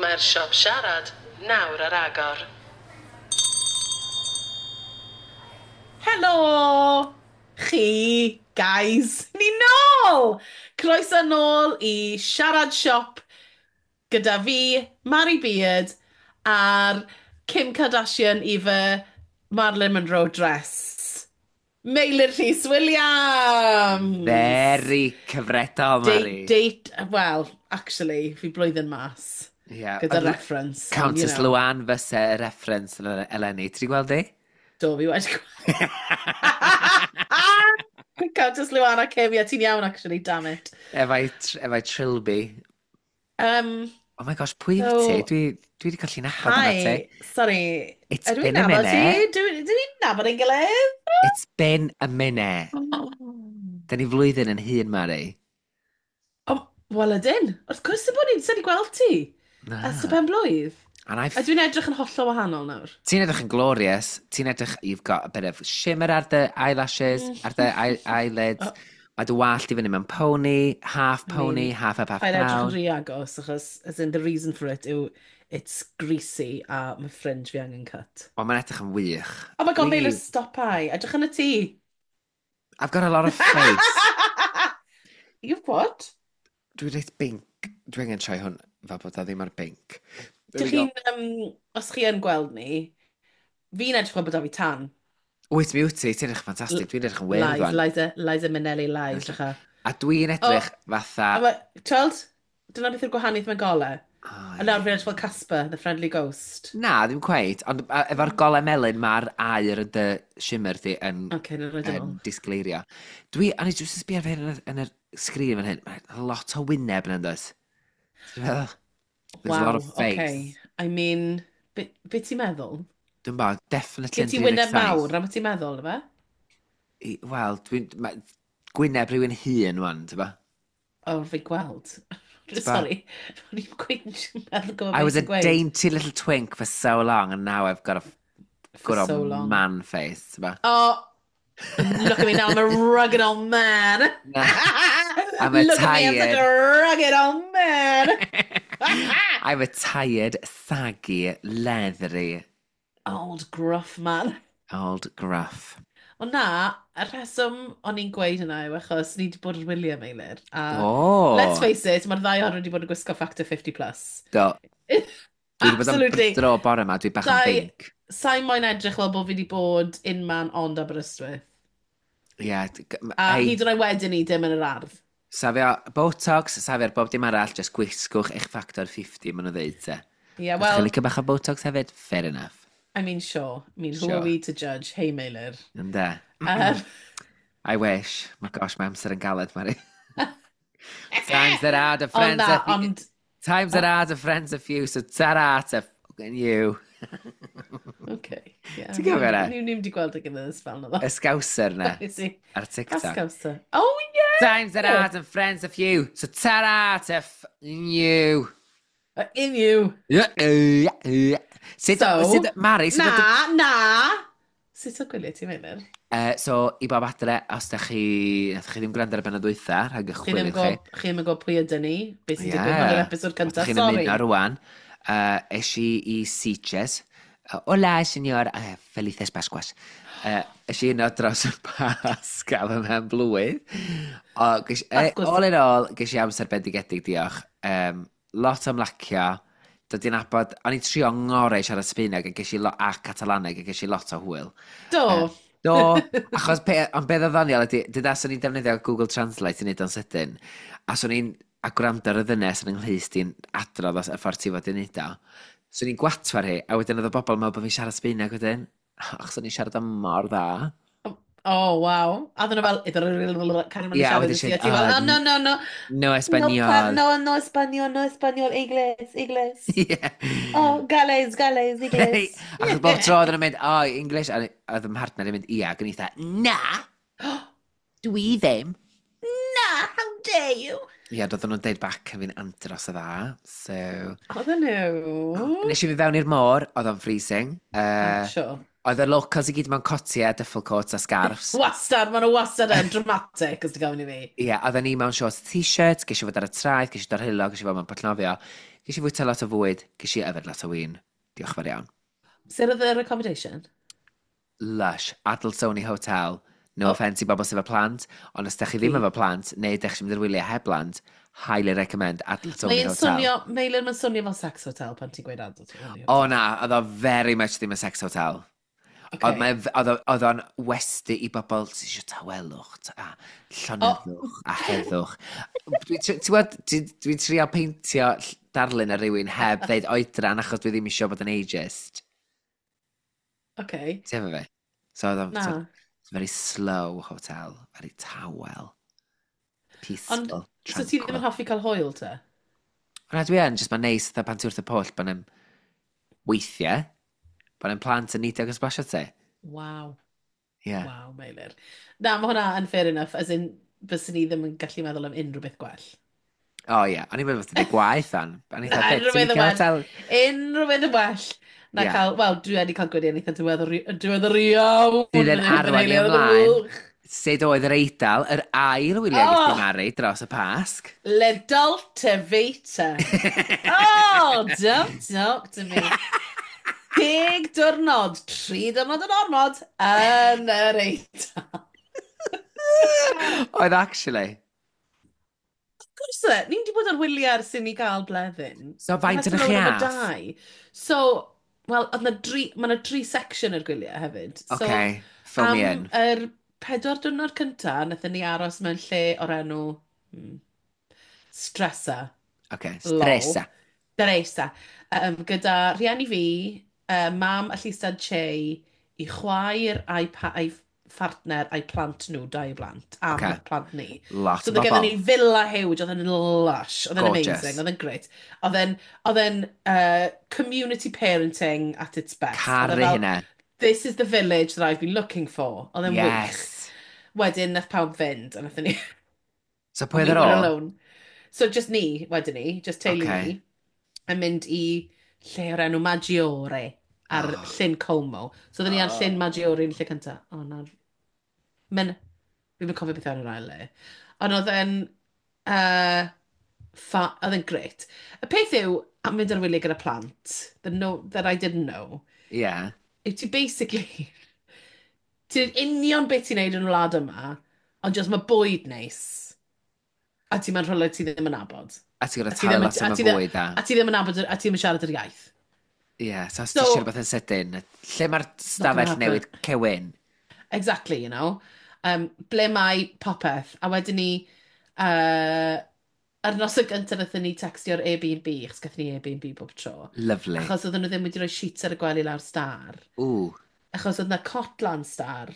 Mae'r siop siarad nawr ar agor. Helo! Chi, guys, ni nôl! Croeso nôl i Siarad Siop gyda fi, Mari Beard, a'r Kim Kardashian i fy Marilyn Monroe dress. Meilir Rhys Williams! Very cyfredol, Mari. Date, date, well, actually, fi blwyddyn mas. Yeah. Gyda reference. Countess you know. Luan fyse y reference eleni. Ti wedi gweld di? Do, fi wedi gweld. Countess Luan a Kim, yeah, ti'n iawn, actually, damn it. Efo'i Trilby. Oh my gosh, pwy wyt ti? Dwi wedi colli nabod yna ti. Hi, sorry. It's Ydw i'n been a nabod ti? minute. Dwi nabod ein gilydd? It's been a minute. Da ni flwyddyn yn hŷn, Mari. Oh, wel ydyn. Wrth gwrs y bod ni'n sy'n gweld ti. Na. Ers y pen blwydd. And I've... A dwi'n edrych yn hollol wahanol nawr. Ti'n edrych yn glorious. Ti'n edrych... You've got a bit of shimmer ar dy eyelashes, ar dy eyelids. Oh. Mae dy wallt i fyny mewn pony, half I pony, mean, half up, half Paid edrych yn down. rhy agos, achos, as in, the reason for it yw it's greasy a mae fringe fi angen cut. O, mae'n edrych yn wych. Oh my god, Dwi- Meilir, stop ai. Edrych yn y tŷ. I've got a lot of face. You've what? Dwi'n reit binc. Dwi angen troi hwn fel bod o ddim ar binc. There Dych we go. chi'n, os chi yn gweld ni, fi'n edrych fel bod o fi tan. Wyt mi wyt ti, ti'n edrych ffantastig. Dwi'n edrych yn wyrdd Lies, wan. Liza Minnelli lies, drycha. A dwi'n edrych fatha... A ma, tweld, dyna beth yw'r gwahaniaeth mewn golau. O, A nawr fi'n edrych fel Casper, the Friendly Ghost. Na, ddim cweit, ond efo'r golau melyn mae'r aur yn dy shimmer di yn, Okay, no, I don't yn know. disgleirio. Dwi, a ni jyst yn sbio ar fy hyn yn yr sgrin fan hyn, mae lot o wyneb yn does? Ti'n meddwl? There's a lot Wow, of face. okay. I mean, be, be ti'n meddwl? Dwi'n bod, definitely Gen yn ti wyneb 37. mawr, na beth ti'n meddwl, na fe? Wel, dwi'n... Gwyneb rhywun hŷn wan, ti'n ba? O, fi gweld. T'bo? Sorry, o'n i'n gweud yn meddwl gwybod I beth was a ti'n gweud. dainty little twink for so long, and now I've got a For good old so long. man face, ti'n ba? Oh, look at me now, I'm a rugged old man. Na. I'm a Look at me, I'm such a tired- rugged old man. I'm a tired, saggy, leathery Old gruff man. old gruff. Ond na, y rheswm o'n i'n gweud hynna yw achos ni wedi bod yn wyliau, Meilir. A Oh! let's face it, mae'r ddau ohonon wedi bod yn gwisgo Factor 50+. Plus. Do. Dwi wedi bod yn Absolutely. dro bore yma, dwi bach yn binc. Sa'i moyn edrych fel bod fi wedi bod unman ond Aberystwyth. Ie. A Hei, hyd yn oed wedyn ni dim yn yr ardd. safio Botox, safio'r bob dim arall, just gwisgwch eich Factor 50, maen nhw'n dweud te. Yeah, Os chi'n well, licio bach o Botox hefyd, fair enough. I mean, sure. I mean, who Sure. are we to judge? Hey, Meilir. Ynde? I wish. My gosh, mae amser yn galed, Mari. Times that are the Ond friends na, are few. ond... Times that are the friends are few, so ta-ra to fucking you. Okay, yeah. Ti'n cofio hwnna? Ni wedi gweld y gilydd ers fel na. Y scouser na, Nes i. ar TikTok. Scouser. Oh, yeah! Times that are the friends are few, so ta-ra to fucking you. In you. Yeah, yeah, yeah. Sut, So, sut, Mari, sut Na, na! Sut o gwyliau ti'n Meilir? So, i bob adre, os da chi, nath chi ddim gwrando ar y bennod dwytha, rhag y Chi ddim chwilio yn chi. gwybod chi ddim yn gwybod pwy ydyn ni, beth sy'n Ie. digwydd yn yr episod Os cyntaf, da chi'n sorry. ymuno rwan, es i i Sitges. Hola, señor. Felices Pascuas. Es i yno dros y Pasg am y mhen blwydd. O, ges, Pasgws. all in all, ges i amser bendigedig, diolch. Lot o ymlacio. Dod i'n nabod, o'n i'n trio ngorau i siarad Sbaeneg a ges i a Catalaneg a ges i lot o hwyl. Do. Do, achos pe, ond beth oedd ddoniol ydy, dyda swn i'n defnyddio Google Translate i wneud o'n sydyn, a swn i'n a gwrando ar y ddynes yn ynghlust i'n adrodd os y ffordd ti fod i wneud o. Swn i'n gwatwar hi, a wedyn oedd y bobl yn meddwl bod fi'n siarad Sbaeneg wedyn. Achos o'n i'n siarad am mor dda. Oh, wow. A ddyn nhw fel, carry on Ie, a siarad wedyn i ti, siarad, a ti fel, "Oh, oh, no, no, no. No español. No, no español, no español, inglés, inglés. Ie. Oh, gales, gales, inglés. Achos bob tro oedden nhw'n mynd, oh, English, a oedd fy mhartner yn mynd, ia, ac o'n i fatha, na, dwi ddim. Na, how dare you? Ie, doedden nhw'n deud back yn fi'n andros o dda, so... Oedden nhw. Nes i fi fewn i'r môr, oedd o'n freezing. I'm sure. Oedd y locals i gyd mewn cotiau, duffel coats a scarves. Wastad, maen nhw wastad yn dramatic, os ti'n gofyn i fi. Ie, yeah, oedden ni mewn shorts t-shirt, ges i fod ar y traeth, ges i dod ar ges i fod mewn pwll. Ges i fwyta lot o fwyd, ges i yfed lot o win. Diolch fawr iawn. Sut oedd yr accommodation? Lush, Adults Only Hotel. No offence i bobl sydd efo plant, ond os ydych chi ddim efo plant, neu ydych chi'n mynd i'r wyliau heb blant, highly recommend Adults Only Hotel. Swnio, Meilir, mae'n swnio fel sex hotel pan ti'n gweud Adults Only Hotel. O na, oedd o very much ddim yn sex hotel. Okay. Oedd o'n westy i bobl sydd eisiau tawelwch a llonyddwch a heddwch. Ti'n gwybod, dwi'n trio peintio darlun ar rywun heb ddeud oedran achos dwi ddim eisiau bod yn ageist. Okay. Ti'n efo fi? So oedd o'n so, very slow hotel, very tawel, peaceful, Ond, so ti ddim yn hoffi cael hwyl te? Na, dwi yn, jyst mae'n neis, fatha pan ti wrth y pwll, pan yn weithiau, pan yn plant yn neidio ac yn sblasio ti. Waw. Yeah. Waw, Meilir. Na, mae hwnna yn fair enough, as in, byswn ni ddim yn gallu meddwl am unrhyw beth gwell. O ie, yeah. O'n i'n meddwl bod ti'n gwaith an. O'n i'n meddwl, unrhyw beth yn well. Unrhyw beth yn well. Na yeah. cael, wel, dwi wedi cael gwyliau yn eitha diweddar iawn. Sydd yn arwain i ymlaen. Sut oedd yr Eidal, yr ail wyliau oh. ges Mari dros y Pasg? Le Dolce Vita. Oh, don't talk to me. 10 diwrnod, 3 diwrnod yn ormod yn yr Eidal. Oedd actually. Of course, ni'n wedi bod ar wyliau ers i ni gael Bleddyn. So faint yn chi ath? So, wel, oedd na dri, mae yna dri section yr gwyliau hefyd. So, okay, fill me in. Am yr 4 diwrnod cynta, wnaethon ni aros mewn lle o'r enw Stresa. Okay, Stresa. Stresa. Gyda rhieni fi, mam a llystad Che, i chwaer a'i, a'i phartner a'i plant nhw, dau blant, a okay. plant ni. Lot so, o bobl. Ni villa huge, oedd yn lush, oedd yn amazing, oedd yn great. Oedd yn community parenting at its best. Caru hynna. "This is the village that I've been looking for." Oedd yn wych. Wedyn, nath pawb fynd, a nath ni So pwy oedd ar ôl? Alone. So just ni, wedyn ni, just teulu ni, yn mynd i lle o'r enw Maggiore ar Llyn Como. So oedden ni ar Llyn Maggiore yn lle cyntaf. O, oh, na. Men, fi'n cofio beth oedd yr ail le. Ond oedd e'n oedd e'n great. Y peth yw, am fynd ar wyliau gyda plant, that, no, that I didn't know, yw ti basically, ti'n union beth ti'n neud yn y wlad yma, ond just mae bwyd neis, a ti'n mewn rhywle ti ddim yn nabod. A ti'n gorfod talu lot am y bwyd a. A ti ddim yn nabod, a ti ddim yn siarad yr iaith. Ie, yeah, so os ti eisiau rhywbeth yn sydyn, lle mae'r stafell newid cewyn? Exactly. Ble mae popeth? A wedyn ni, ar nos y gyntaf wnaethon ni textio'r Airbnb, achos gathon ni Airbnb bob tro. Lovely. Achos oedden nhw ddim wedi rhoi sheets ar y gwely lawr star. Ooh. Achos oedd na cot lan star,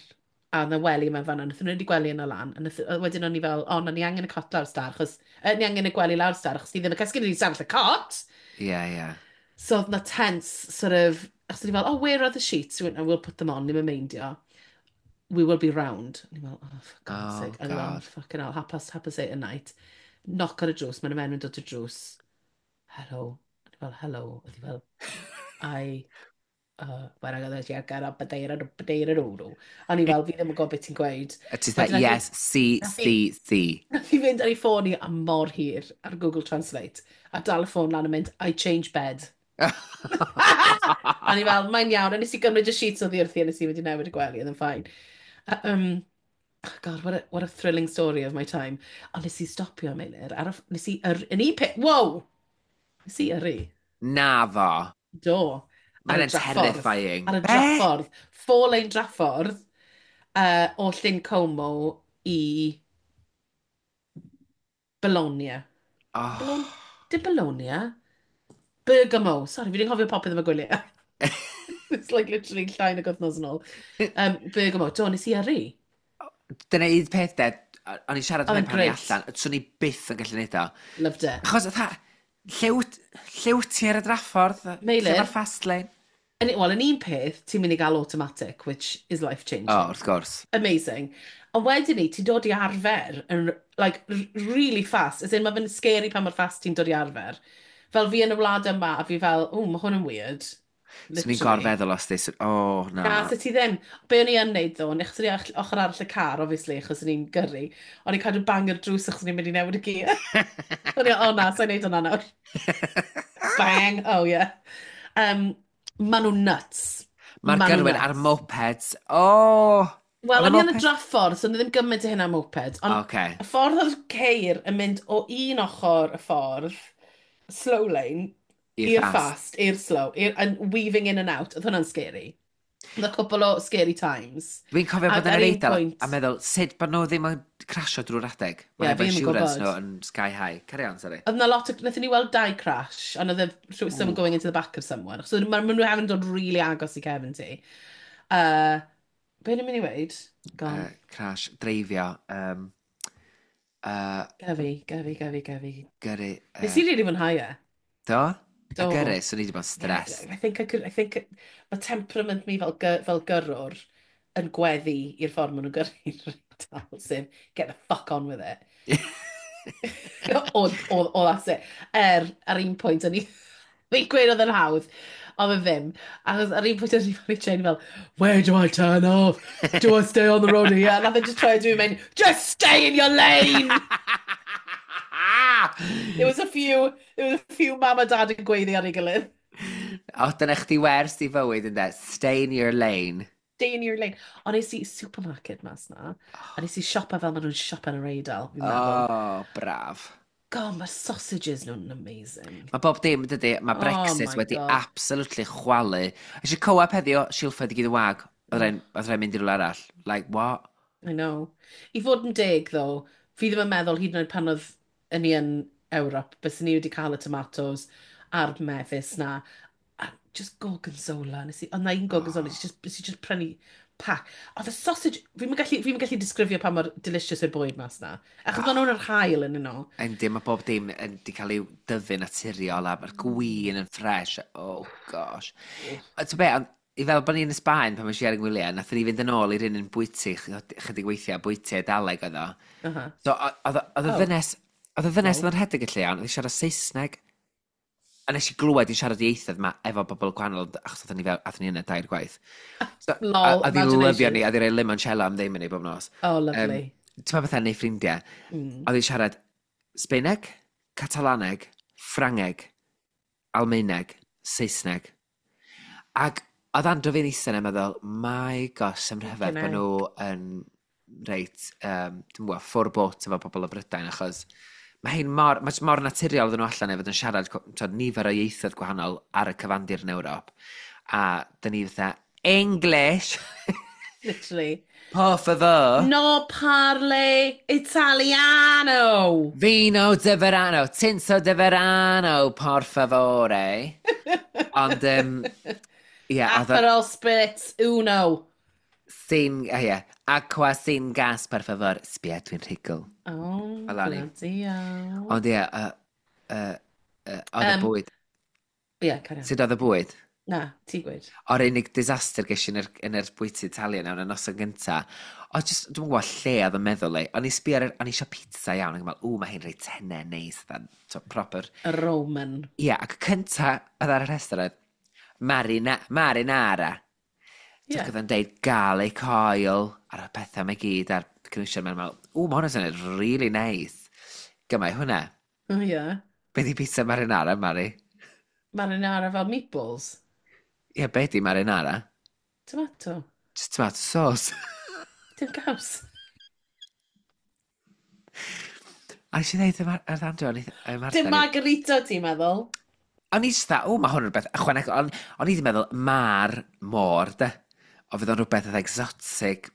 a oedd na wely mewn fan'na, wnaethon nhw wedi gwely yna lan, a wedyn o'n i fel, "O, na ni angen y cot lawr star, achos, ni angen y gwely lawr star, achos ni ddim yn cysgu ni stafell y cot." Ie, yeah, ie. Yeah. So oedd na tense, sort of, achos o'n i fel, "Oh, where are the sheets?" We went, "Oh, we'll put them on, ni'n meindio. We will be round." O'n i fel, "Oh, for God's Oh, sake." A o'n i fel, God. "Fucking hell, 8:30 at night." Knock ar y drws, mae'n mewn yn dod i'r drws. "Hello." O'n i fel, "Hello." Oedd hi fel, "I, O'n i fel, "Fi ddim yn gwybod beth ti'n gweud." A ti'n dweud, "Yes, C, C, C." Nath i fynd ar ei ffôn i am mor hir ar Google Translate a dal y ffôn lan yn mynd, "I change bed." A ni fel, "Mae'n iawn," a nes i gymryd y sheets oddi wrthi a nes i wedi newid y gwely, oedd yn fine. Oh God, what a thrilling story of my time. Ond nes i stopio, Meilir, ar y, nes i, yn un peth, wow! Nes i yrru. Na fo. Do. Mae'n terrifying. Ar y draffordd. Four lane draffordd o Llyn Como i Bologna. Oh. Dim Bologna. Bergamo. Sorry, fi ddim cofio popeth am y gwyliau. It's like literally llai nag wythnos yn ôl. Bergamo. Do, nes i yrru. Dyna un peth de, o'n i'n siarad yn pan i allan, swn i byth yn gallu neud o. Loved it. Achos, fatha, lle wyt ti ar y draffordd? Meilir. Lle mae'r fast lane? Wel, yn un peth, ti'n mynd i gael automatic, which is life-changing. Oh, wrth gwrs. Amazing. Ond wedyn ni, ti'n dod i arfer, yn, like, really fast. As in, mae fe'n scary pa mor fast ti'n dod i arfer. Fel fi yn y wlad yma, a fi fel, "O, mae hwn yn weird." So ni'n gorfeddwl os di, oh, na. Na, so ti ddim. Be o'n i yn neud ddo, achos o'n i ochr arall y car, obviously, achos o'n i'n gyrru, o'n i'n cadw bang ar drws achos o'n i'n mynd i newid y gear. O'n i, oh na, sa'n neud hwnna nawr. Bang, oh yeah. Ma nhw'n nuts. Mae'r ma gyrwyr ar mopeds, oh! Wel, o'n i yn y draffordd, so o'n i ddim gymaint o hynna mopeds. Ond okay. y ffordd oedd ceir yn mynd o un ochr y ffordd, slow lane, i'r fast, i'r slow, and weaving in and out, oedd hwnna'n scary. Oedd y cwpl o scary times. Dwi'n cofio bod yn yr Eidal a meddwl, sut bod nhw ddim yn crasio drwy'r adeg? Mae'n yeah, efo insurance nhw yn sky high. Carry on, sorry. Oedd na lot o, wnaethon ni weld dau crash, and oedd someone going into the back of someone. So maen nhw hefyd yn dod really agos i cefn ti. Be ni'n mynd i weud? Gone. Crash, dreifio. Gyfi, gyfi, gyfi, gyfi. Gyrru. Nes i rili fwynhau e. Do? Do. A gyrru, so ni wedi bod yn stress. Yeah, I think I could, I think mae temperament mi fel, fel gyrrwr yn gweddu i'r ffordd maen nhw'n gyrru'r dal, sef get the fuck on with it. O, that's it. Ar un pwynt, o'n i... Fi'n gweud oedd yn hawdd, ond fe ddim. Achos ar un pwynt o'n i fel i Jane fel, where do I turn off? Do I stay on the road here? And nath e just try to do mynd, just stay in your lane! There was a few, there was a few mam a dad yn gweiddi ar ei gilydd. O, dyna chdi wers i fywyd ynddo. Stay in your lane. Stay in your lane. Ond nes i supermarket mas na, a nes i siopa fel maen nhw'n siopa yn yr Eidal, fi'n meddwl. Oh, braf. God, mae'r sausages nhw'n amazing. Mae bob dim, dydy, mae Brexit oh wedi God. absolutely chwalu. Eisiau co-op heddiw, silffoedd i gyd yn wag. Oedd rhaid mynd i rhywle arall. Like, what? I know. I fod yn deg, though, fi ddim yn meddwl hyd yn oed pan oedd yn ni yn Ewrop, bys ni wedi cael y tomatoes a'r mefus na. A just gorgonzola. Nes i, ond na un gorgonzola, oh. Nes i just prynu pack. Oedd y sausage, fi'n gallu, fi gallu disgrifio pa mor delicious yw'r bwyd mas na. Achos oh. maen nhw'n yr hael yn yno. Yndi, mae bob dim yn di cael ei dyfu naturiol a mae'r gwin yn ffres. Oh gosh. A ti'n be, ond i fel bod ni'n Sbaen pan mae'n siarad ngwyliau, nath ni fynd yn ôl i'r un yn bwyty, chydig weithiau, bwyty Eidaleg oedd o. So, oedd y ddynes, oedd y ddynes oedd yn rhedeg y lle iawn, oedd hi'n siarad Saesneg. A nes i glywed i'n siarad ieithoedd yma efo bobl gwahanol, achos oedden ni fel, athon ni yna dair gwaith. So, Lol, a ddi lyfio ni, a ddi roi limoncello am ddim i ni bob nos. Oh, lovely. Ti'n meddwl bethau neu ffrindiau? Oedd hi'n siarad Sbaeneg, Catalaneg, Ffrangeg, Almaeneg, Saesneg. Ac oedd Andrew fi'n eistedd yna'n meddwl, my gosh, sy'n rhyfedd bod nhw yn reit, dwi'n gwybod, ffwr bot efo bobl o Brydain, achos mae hyn mor, mae mor naturiol iddyn nhw allan efo yn siarad t'od, nifer o ieithoedd gwahanol ar y cyfandir yn Ewrop. A dyn ni fatha, English! Literally. Por favor. No parle italiano! Vino de verano, tinto de verano, por favore. Ond, yeah, Aperol Spritz, uno. Sin, yeah. Aqua sin gas, per favor. Sbia, dwi'n rhugl. Oh, bloody hell. Ond ie, oedd y bwyd. Ie, carry on. Sut oedd y bwyd? Na, ti gweud. O'r unig disaster ges i yn yr bwyty Italian nawr, y noson gynta. O, just, dwi'n gwybod lle oedd yn meddwl i. O'n i sbio ar, o'n i eisiau pizza iawn, ac yn meddwl, ww, mae hi'n reit tenau neis, dda, so, proper. Y Roman. Ie, yeah, ac y cynta oedd ar y rhestr oedd marinara. Yeah. Ac oedd yn deud garlic oil ar y pethau mae gyd a'r cynwysion. Mae'n meddwl, ww, mae hwnna'n swnio'n really nice. Gymau hwnna. Oh, yeah. Be di pizza marinara, Mari? Marinara fel meatballs? Ie, yeah, be di marinara? Tomato. Just tomato sauce. Dim caws. A nes i ddeud ar Andrew, o'n i... Dim margarita, ti'n meddwl? O'n i just dda, o, mae hwn yn rhywbeth ychwanegol. O'n i wedi meddwl, ma'r môr, de. O fydd o'n rhywbeth oedd exotic,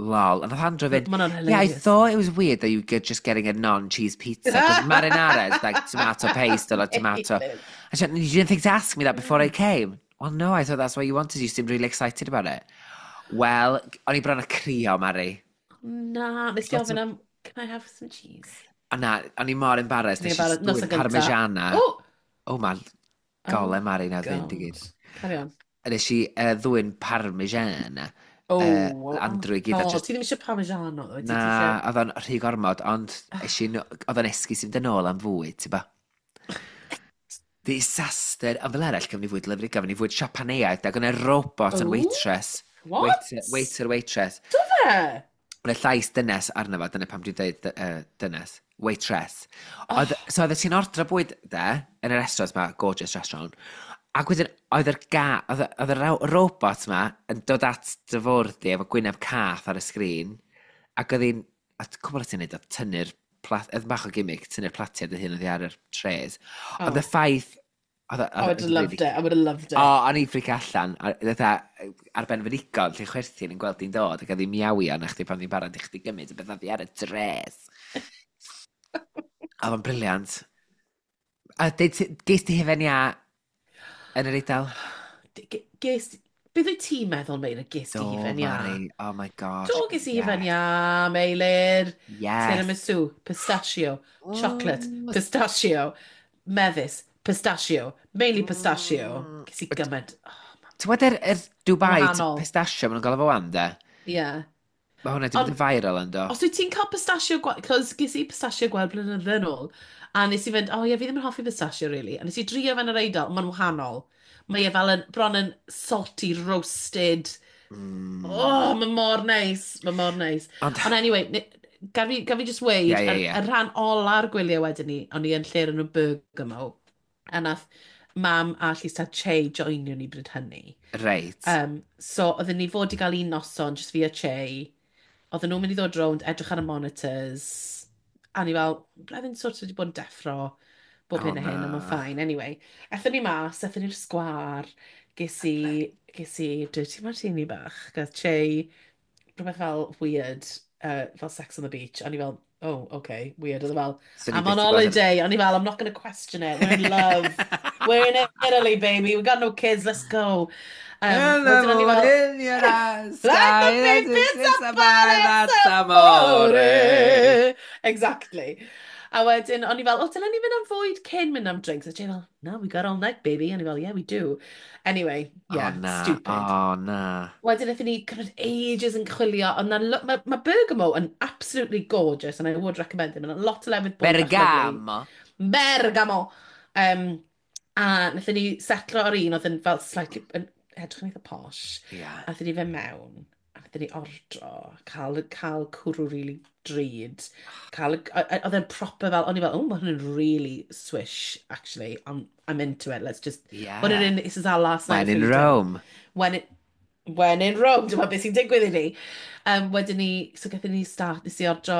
lol. And oedd Andrew fynd, yeah, I thought it was weird that you were just getting a non-cheese pizza, because marinara is like tomato paste or like tomato. I said, you didn't think to ask me that before I came? Well, no, I thought that's what you wanted. You seemed really excited about it. Well, o'n i bron a crio, Mari. Na, nes ti ofyn am, can I have some cheese? O na, o'n i mor embarrassed. Nes i dwyn parmigiana. Oh, man, gole Mari na fynd i gyd. Carry on. Nes i ddwyn parmigiana. Oh, Andrew i gyd. Oh, ti ddim eisiau parmigiano? Na, oedd o'n rhy gormod, ond oedd o'n esgus i fynd yn ôl am fwyd, ti'n ba? Disaster. Ond fel arall, gafon ni fwyd lyfli, gafon ni fwyd Siapaneaidd, ac o'na robot yn waitress. What? Waiter, waiter, waitress. Do fe? O'na llais dynes arno fo, dyna pam dwi'n dweud dynes. Waitress. Oedd, oh. So oedd ti'n ordro bwyd, de, yn y restaurant ma, gorgeous restaurant, ac wedyn oedd yr ga, oedd, oedd y robot ma yn dod at dy fwrdd di efo gwyneb cath ar y sgrin, ac oedd hi'n, a cwbl o ti'n neud, oedd tynnu'r plat, oedd bach o gimmick, tynnu'r platiau dy hun oedd hi ar yr trays. Oh. Oedd y ffaith... Oedd, I would have loved it, I would have loved it. O, o'n i'n ffric allan, a, ar ben fy nigon, lle chwerthin yn gweld di'n dod, ac oedd hi'n miawio na chdi pan ddi'n barod i chdi gymryd y beth oedd hi ar y dres. Oedd o'n briliant. A ges ti hufen iâ yn yr Eidal? Ges... Beth wyt ti'n meddwl, Meilir, ges ti hufen iâ? Mari, oh my gosh. Do, ges i hufen iâ, Meilir. Yes. Tiramisu, pistachio, chocolate, pistachio, mefus, pistachio, mainly pistachio. Ges i gymaint. Oh, Ti'n gwybod yr, yr Dubai pistachio, maen nhw'n gael efo wan, de? Yeah. Mae hwnna wedi bod yn viral yn do. Os wyt ti'n cael pistachio, cos ges i pistachio gweld blynydde yn ôl, a nes i fynd, oh ie, yeah, fi ddim yn hoffi pistachio, really. A nes i drio fe yn yr Eidal, mae'n wahanol. Mae e fel yn, bron yn salty, roasted. Oh, mae mor neis. Mae mor neis. Ond, Ond anyway, gaf fi, gaf fi just weud, yeah, yeah, yeah. Y rhan ola'r gwyliau wedyn ni, o'n i yn lle yn y Bergamo, a nath mam a Llys Tad Che joinio ni bryd hynny. Reit. So, oedden ni fod i gael un noson, just fi a Che. Oedden nhw'n mynd i ddod rownd, edrych ar y monitors. A ni fel, blwyddyn sort of wedi bod yn deffro bob hyn a hyn, ond mae'n fine. Anyway, aethon ni mas, aethon ni'r sgwar, ges i, ges i dirty martini bach, gath Che, rhywbeth fel weird, fel Sex on the Beach, a ni fel, oh, okay, weird, oedd e fel, So ni I'm on byth 'di gweld holiday, o'n i fel, I'm not going to question it, we're in love, we're in Italy, baby, we got no kids, let's go. Wedyn o'n i fel, in your eyes, Like the big pizza that's amore. Exactly. A wedyn, o'n i fel, o, dylen ni fynd am fwyd cyn mynd am drinks. A Jay fel, no, we got all night, baby. A o'n i fel, yeah, we do. Anyway, yeah, oh, na. stupid. Oh, na. Wedyn, wnaethon ni cymryd ages yn chwilio, ond mae ma Bergamo yn absolutely gorgeous, and I would recommend it. Mae'n lot o lefydd bwyd bach lyfli. Bergamo. Bergamo! A wnaethon ni setlo ar un oedd yn fel slightly, yn edrych yn eitha posh. Yeah. A wnaethon ni fynd mewn, a wnaethon ni ordro, cael cwrw really drud. Cael, oedd e'n proper fel, o'n i fel, oh, mae hwn yn really swish, actually. I'm into it, let's just Yeah. put it in, this is our last night. When in food. Rome. When in Rome, dyma beth sy'n digwydd i ni. Wedyn ni, so gathon ni start, nes i ordro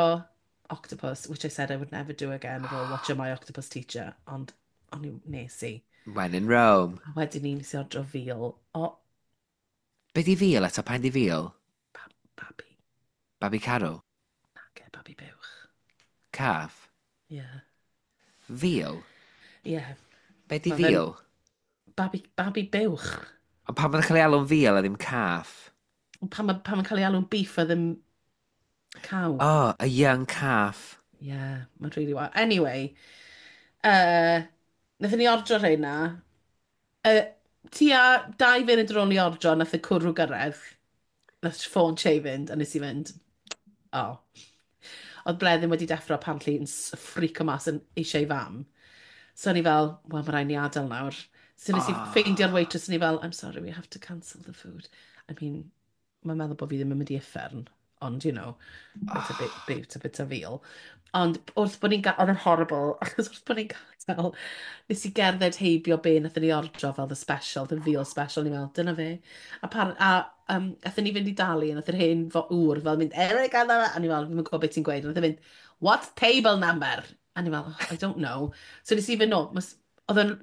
octopus, which I said I would never do again, ar ôl watching My Octopus Teacher, ond o'n i nes i. When in Rome. A wedyn ni nes i ordro veal o Be di veal eto? Pa'n di veal? babi. Babi Carw? Nage, babi buwch. Calf? Yeah. Veal? Yeah. Be di Ma' fe'n- veal? Babi buwch. Ond pan mae'n cael ei alw'n veal a ddim calf? Ond Pan mae'n pan ma cael ei alw'n beef a ddim cow. Oh, a young calf. Yeah, mae'n really wild. Anyway, wnaethon ni ordro rheina. Tua 2 funud ar ôl ni ordro, nath y cwrw gyrraedd. Nath ffôn Che fynd, a nes i fynd, oh. Oedd Bleddyn wedi deffro apparently yn ffrico mas yn eisiau ei fam. So o'n i fel, wel, mae rhaid ni adael nawr. So nes i Ah. ffeindio'r waitress, o'n i fel, I'm sorry, we have to cancel the food. I mean, mae'n meddwl bod fi ddim yn mynd i uffern, ond, you know, bit a bit, bit a bit a veal. Ond wrth bod ni'n oedd yn horrible, achos wrth bod ni'n gadael, nes i gerdded heibio be nathon ni ordro fel the special, the veal special, ni'n meddwl, dyna fe. A, pan, a athon ni fynd i dalu, a nath yr hen ŵr fel mynd, Eric, a a ni'n meddwl, fi'n gwybod beth ti'n gweud, a nath e fynd, what table number? A ni'n meddwl, oh, I don't know. So nes i fynd nôl, oedd yn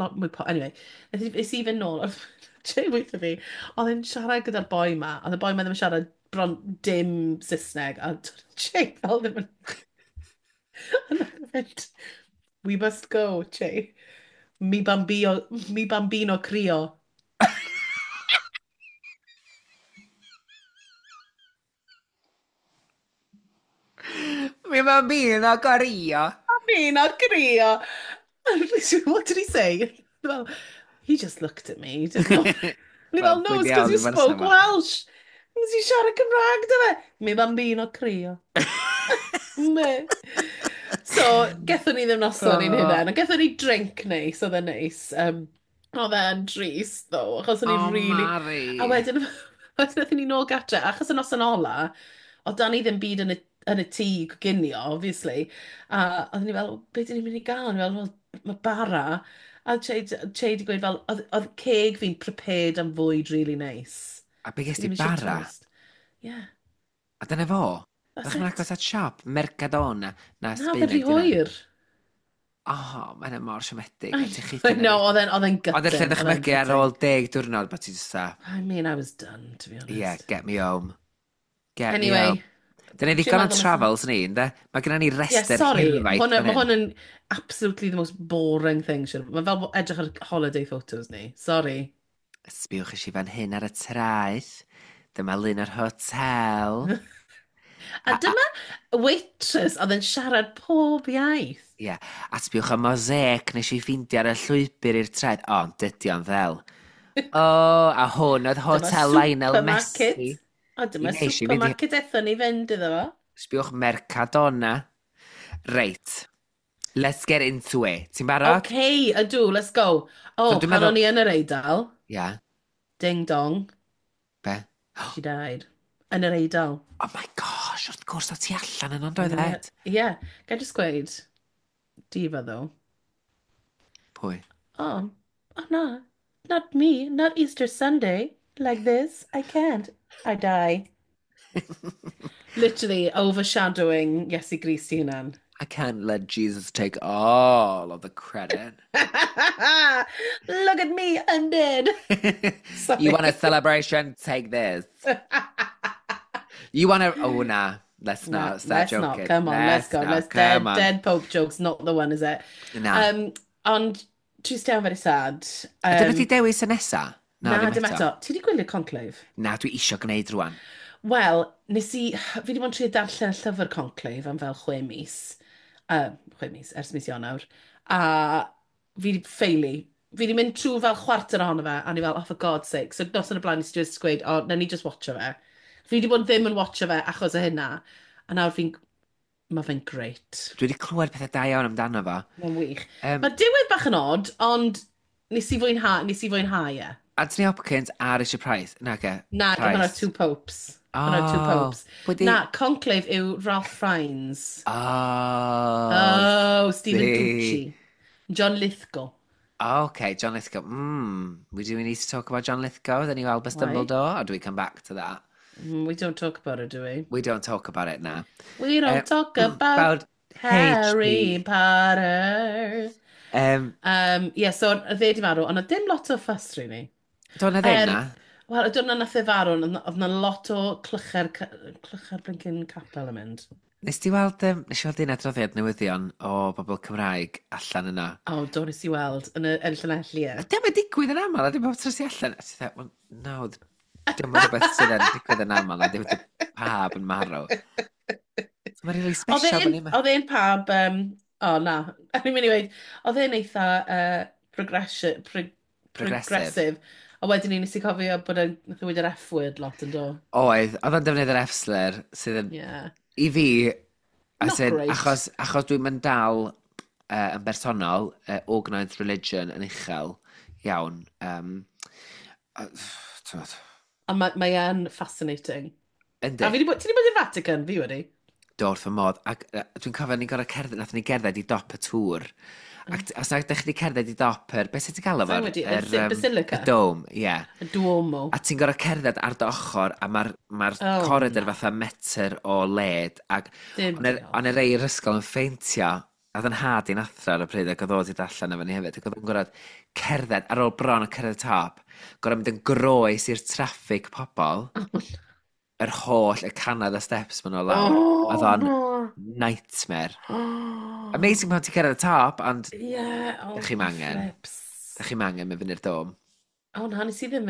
lot mwy anyway, nes i fynd nôl, oedd Jay weithio fi, oedd e'n siarad gyda'r boi ma, oedd y boi ma ddim yn siarad bron dim Saesneg, a Jay fel ddim yn... A nath e fynd, we must go, Jay. Mi bambino, mi bambino crio. Mi bambino crio. Bambino crio. What did he say? Well, he just looked at me. He didn't know. Ni fel, no, it's because you spoke Welsh. Nes i siarad Cymraeg, dy fe? Mi bambino crio. Me. So, gethon ni ddim noson i'n hunain, ond gethon ni drink neis, oedd e'n neis. Oedd e'n drist, though, achos o'n i'n Oh, really. Mari. A wedyn, wedyn nathon ni nôl gatre, achos y noson ola, oedd dan ni ddim byd yn y tŷ i coginio, obviously. A oedden ni fel, "Be dyn ni'n mynd i gael?" O'n i fel, "Wel, mae bara." A Che di gweud fel, oedd ceg fi'n prepared am fwyd really nice. A be ges Fi ti, ddim eisiau bara? toast. Yeah, A dyna fo? that's Ydych chi'n it. agos at siop? Mercadona? Na, Na, oedd e'n Sbaeneg rhy di hynna. hwyr. Oh, mae'n mor siomedig. I A ti'n chwythu know, oedd e'n Ond allai gutting. Oedd e'n ddychmygu ar gutting. ôl 10 diwrnod bod ti'n just I mean, I was done, to be "Yeah, honest. get me home. Get me Anyway, home." Dyna ni dwi'n ddigon o'n meddwl nesa. travels ni, ynddo? Mae gennym ni Yeah, rester sorry. hirfaith Hwn, fan mae hyn. hwn yn absolutely the most boring thing. Siwr. Mae fel edrych ar holiday photos ni. Sorry. Sbiwch i fan hyn ar y traeth. Dyma lun o'r hotel. A dyma waitress oedd yn siarad pob iaith. Ie, yeah. A sbiwch y mosaic nes i ffeindio ar y llwybr i'r traeth. O, ond dydy o'n ddel. O, a hwn oedd Dyma Hotel Lionel supermarket. Messi. A dyma I nes i fynd i supermarket ethon ni fynd iddo fo. Sbiwch Mercadona. Reit. Let's get into it. Ti'n barod? OK, ydw, let's go. So Oh, dwi'n pan meddwl o'n i yn yr Eidal, Ia, ding dong, be? she died. Yn yr Eidal. Oh my gosh, wrth gwrs o ti allan yn ond oedd Yn yr. Ed? Yeah, ga i just gweud, diva though. Pwy? Oh no, not me, not Easter Sunday. Like this, I can't. I die. Literally overshadowing Iesu Grist i hunan. I can't let Jesus take all of the credit. Look at me, I'm dead. You want a Sorry. celebration? Take this. You want to. Oh, nah. Let's No, not start let's not. joking. Come on, let's Let's go. not. Let's Come dead, on. dead Pope jokes, not the one, is it? Na. Ond trist iawn, very sad. Ydyn nhw wedi dewis y nesa? Na, Na, ddim dim eto. eto. Ti wedi gwylio Conclave? Na, dwi isio gwneud rwan. Wel, nes i, fi wedi bod yn trio darllen y llyfr Conclave am fel 6 mis. 6 mis, ers mis Ionawr. A fi wedi ffaelu. Fi wedi mynd trwy fel chwarter ohono fe, a ni fel, "Oh, for God's sake." So nos yn y blaen, nes i just gweud, "O, oh, na ni just watcho fe." Fi wedi bod ddim yn watcho fe achos o hynna. A nawr fi'n, mae fe'n great. Dwi wedi clywed pethau da iawn amdano fo. Mae'n wych. Um, Mae diwedd bach yn odd, ond nes i fwynhau e. Anthony Hopkins a Richard Price. Na, ge. Na, hwnna'r Price. Two Popes. Hwnna'r Two Oh, Popes. pwy di Na, Conclave yw Ralph Fiennes. Oh, Oh, Stephen see. Gucci. John Lithgow. Okay, John Lithgow. We need to talk about John Lithgow, the new Albus Why? Dumbledore, or do we come back to that? We don't talk about it, do we? We don't talk about it now. We don't talk about About Harry HP. Potter. Yeah, so oedd e di farw, ond oedd dim lot o fuss, really. Do na ddim Er, na? wel, y diwrnod nath e farw, oedd 'na lot o clychau'r blinking capel yn mynd. Nes i weld un adroddiad newyddion o bobl Cymraeg allan yna. O, do, nes i weld yn Llanelli, A ie. dim yn digwydd yn aml, a dim bob tro sy allan. A ti'n dweud, "Well, no, dim yn rhywbeth sydd yn digwydd yn aml, a dim yn pab yn marw." So mae'n really Oedd special bod e'n ni'n oedd e'n pab, o na, o'n i'n mynd i weud, oedd e'n eitha Progressive. progressive. A wedyn ni nes i cofio bod e'n, nath o weud yr F-word lot yn do. Oedd o'n defnyddio'r F-slur sydd yn, i fi, as Not in, great. achos dwi'n mynd dal yn bersonol, organised religion yn uchel iawn. T'mod, Ond mae e'n fascinating. Yndi. A fi 'di bod, ti wedi bod i'r Vatican? Fi wedi. Do, wrth fy modd. Ac dwi'n cofio ni'n gorfod cerdded, nathon ni gerdded i dop y tŵr. Ac os nag ydych chi wedi cerdded i dop yr, beth sydd ti'n galw Sa'n fo? wedi, Yr, y Basilica? Y dome, ie. Yeah. Y Duomo. A ti'n gorfod cerdded ar dy ochr, a mae'r ma Oh, corridor na. fatha metr o led. Ac Dim o'n diolch. y rei i'r ysgol yn ffeintio, a oedd yn nhad i'n athro ar y pryd ac oedd o wedi darllen efo ni hefyd, ac oedd o'n gorfod cerdded ar ôl bron o cyrraedd y top, gorfod mynd yn groes i'r traffig pobl, yr holl, y cannoedd o steps maen nhw lawr. Oedd o'n no. nightmare. Amazing pan ti'n cyrraedd y top, ond Yeah, oh, Dach chi'm angen. flips. dach chi'm angen mynd fyny'r dome. O na, nes i ddim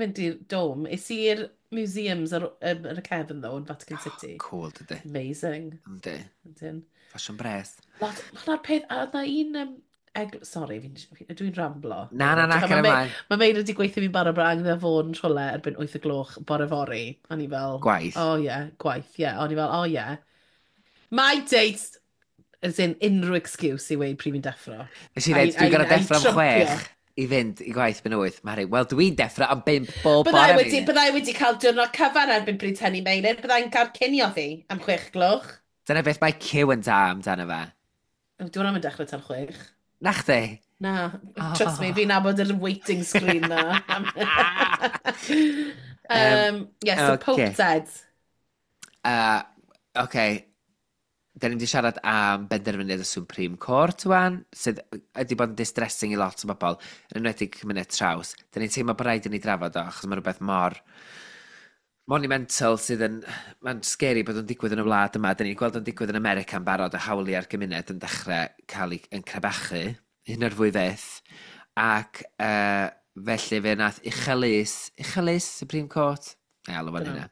mynd i'r dome. Es i i'r museums ar y cefn, though, yn Vatican City. Cool, dydy. Amazing. Yndi. Ydyn. Ffasiwn bres. Lot, hwnna'r peth, a oedd na un. Sorry, dwi'n ramblo. Na, na, na, Mae cer ymlaen. Mae Meir wedi gweithio fi'n barod bod angen iddo fod yn rhywle erbyn 8 o gloch bore fory. A ni fel Gwaith. "Oh yeah, gwaith, yeah." O'n i fel, "Oh yeah. My date's As in, unrhyw excuse i weud pryd fi'n deffro. Nes i ddweud, dwi'n gorau deffro am 6 i fynd i gwaith ben 8. Mari, wel, dwi'n deffro am 5 bob bore. Byddai wedi cael diwrnod cyfan erbyn bryd hynny, Meilir. Byddai'n cael cinio fi am 6 gloch. Dyna beth mae Cyw yn da amdano fe. Dwi'n am yn dechrau tan 6. Na chdi? Na, trust me, fi'n nabod yr waiting screen na. Yes, so Pope said. Okay. Da ni'n wedi siarad am benderfyniad y Supreme Court wan, sydd ydy bod yn distressing i lot o bobl, yn enwedig cymuned traws. Da ni'n teimlo bod rhaid i ni drafod o, achos mae rhywbeth mor monumental sydd yn... Mae'n scary bod o'n digwydd yn y wlad yma. Da ni'n gweld o'n digwydd yn America yn barod, y hawliau'r gymuned yn dechrau cael ei yn crebachu, hyn o'r fwy fyth. Ac felly fe nath Uchel Lys, Uchel Lys Supreme Court? Na, alw fan hynna.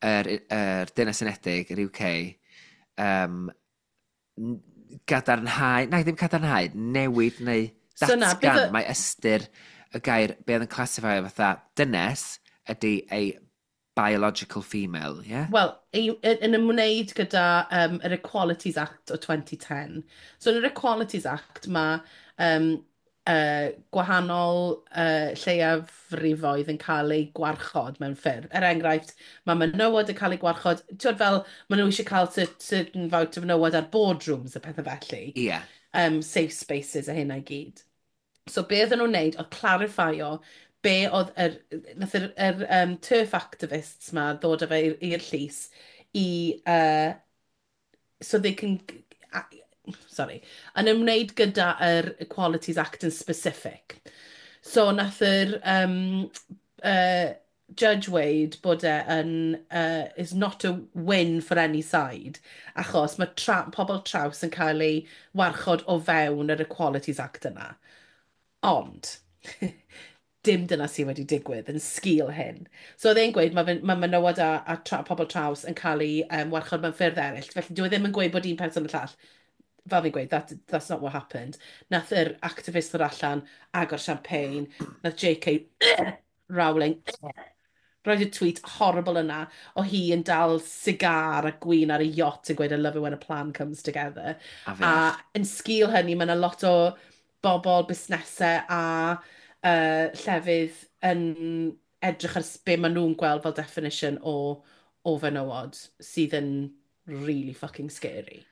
Yr Deyrnas Unedig, yr UK, gadarnhau, na ddim cadarnhau, newid neu datgan, so na, mae ystyr y gair be oedd yn classifio fatha dynes ydy a biological female, yeah? Wel, yn ymwneud gyda yr Equalities Act o 2010. So yn yr Equalities Act mae gwahanol lleiafrifoedd yn cael eu gwarchod mewn ffyrdd. Er enghraifft, mae menywod yn cael eu gwarchod, ti'n fel, maen nhw eisiau cael certain faint o fenywod ar boardrooms a pethau felly. Safe spaces a hynna i gyd. So be oedden nhw'n neud oedd clarifio be oedd nath yr TERF activists ma ddod â fe i'r llys i, so they can, sorry, yn ymwneud gyda yr Equalities Act yn specific. So nath yr Judge weud bod e yn, is not a win for any side, achos mae pobl traws yn cael ei warchod o fewn yr Equalities Act yna. Ond, dim dyna sydd wedi digwydd yn sgil hyn. So oedd e'n gweud mae ma menywod a pobl traws yn cael ei warchod mewn ffyrdd eraill. Felly dyw e ddim yn gweud bod un person y llall. Fel fi'n gweud, that's not what happened. Nath yr activist ddod allan, agor champagne, nath J.K. Rowling roedd y tweet horrible yna o hi yn dal cigar a gwin ar y yacht yn gweud "I love it when a plan comes together." A yn sgil hynny, mae yna lot o bobl, busnesau a llefydd yn edrych ar be maen nhw'n gweld fel definition o fenywod sydd yn really fucking scary.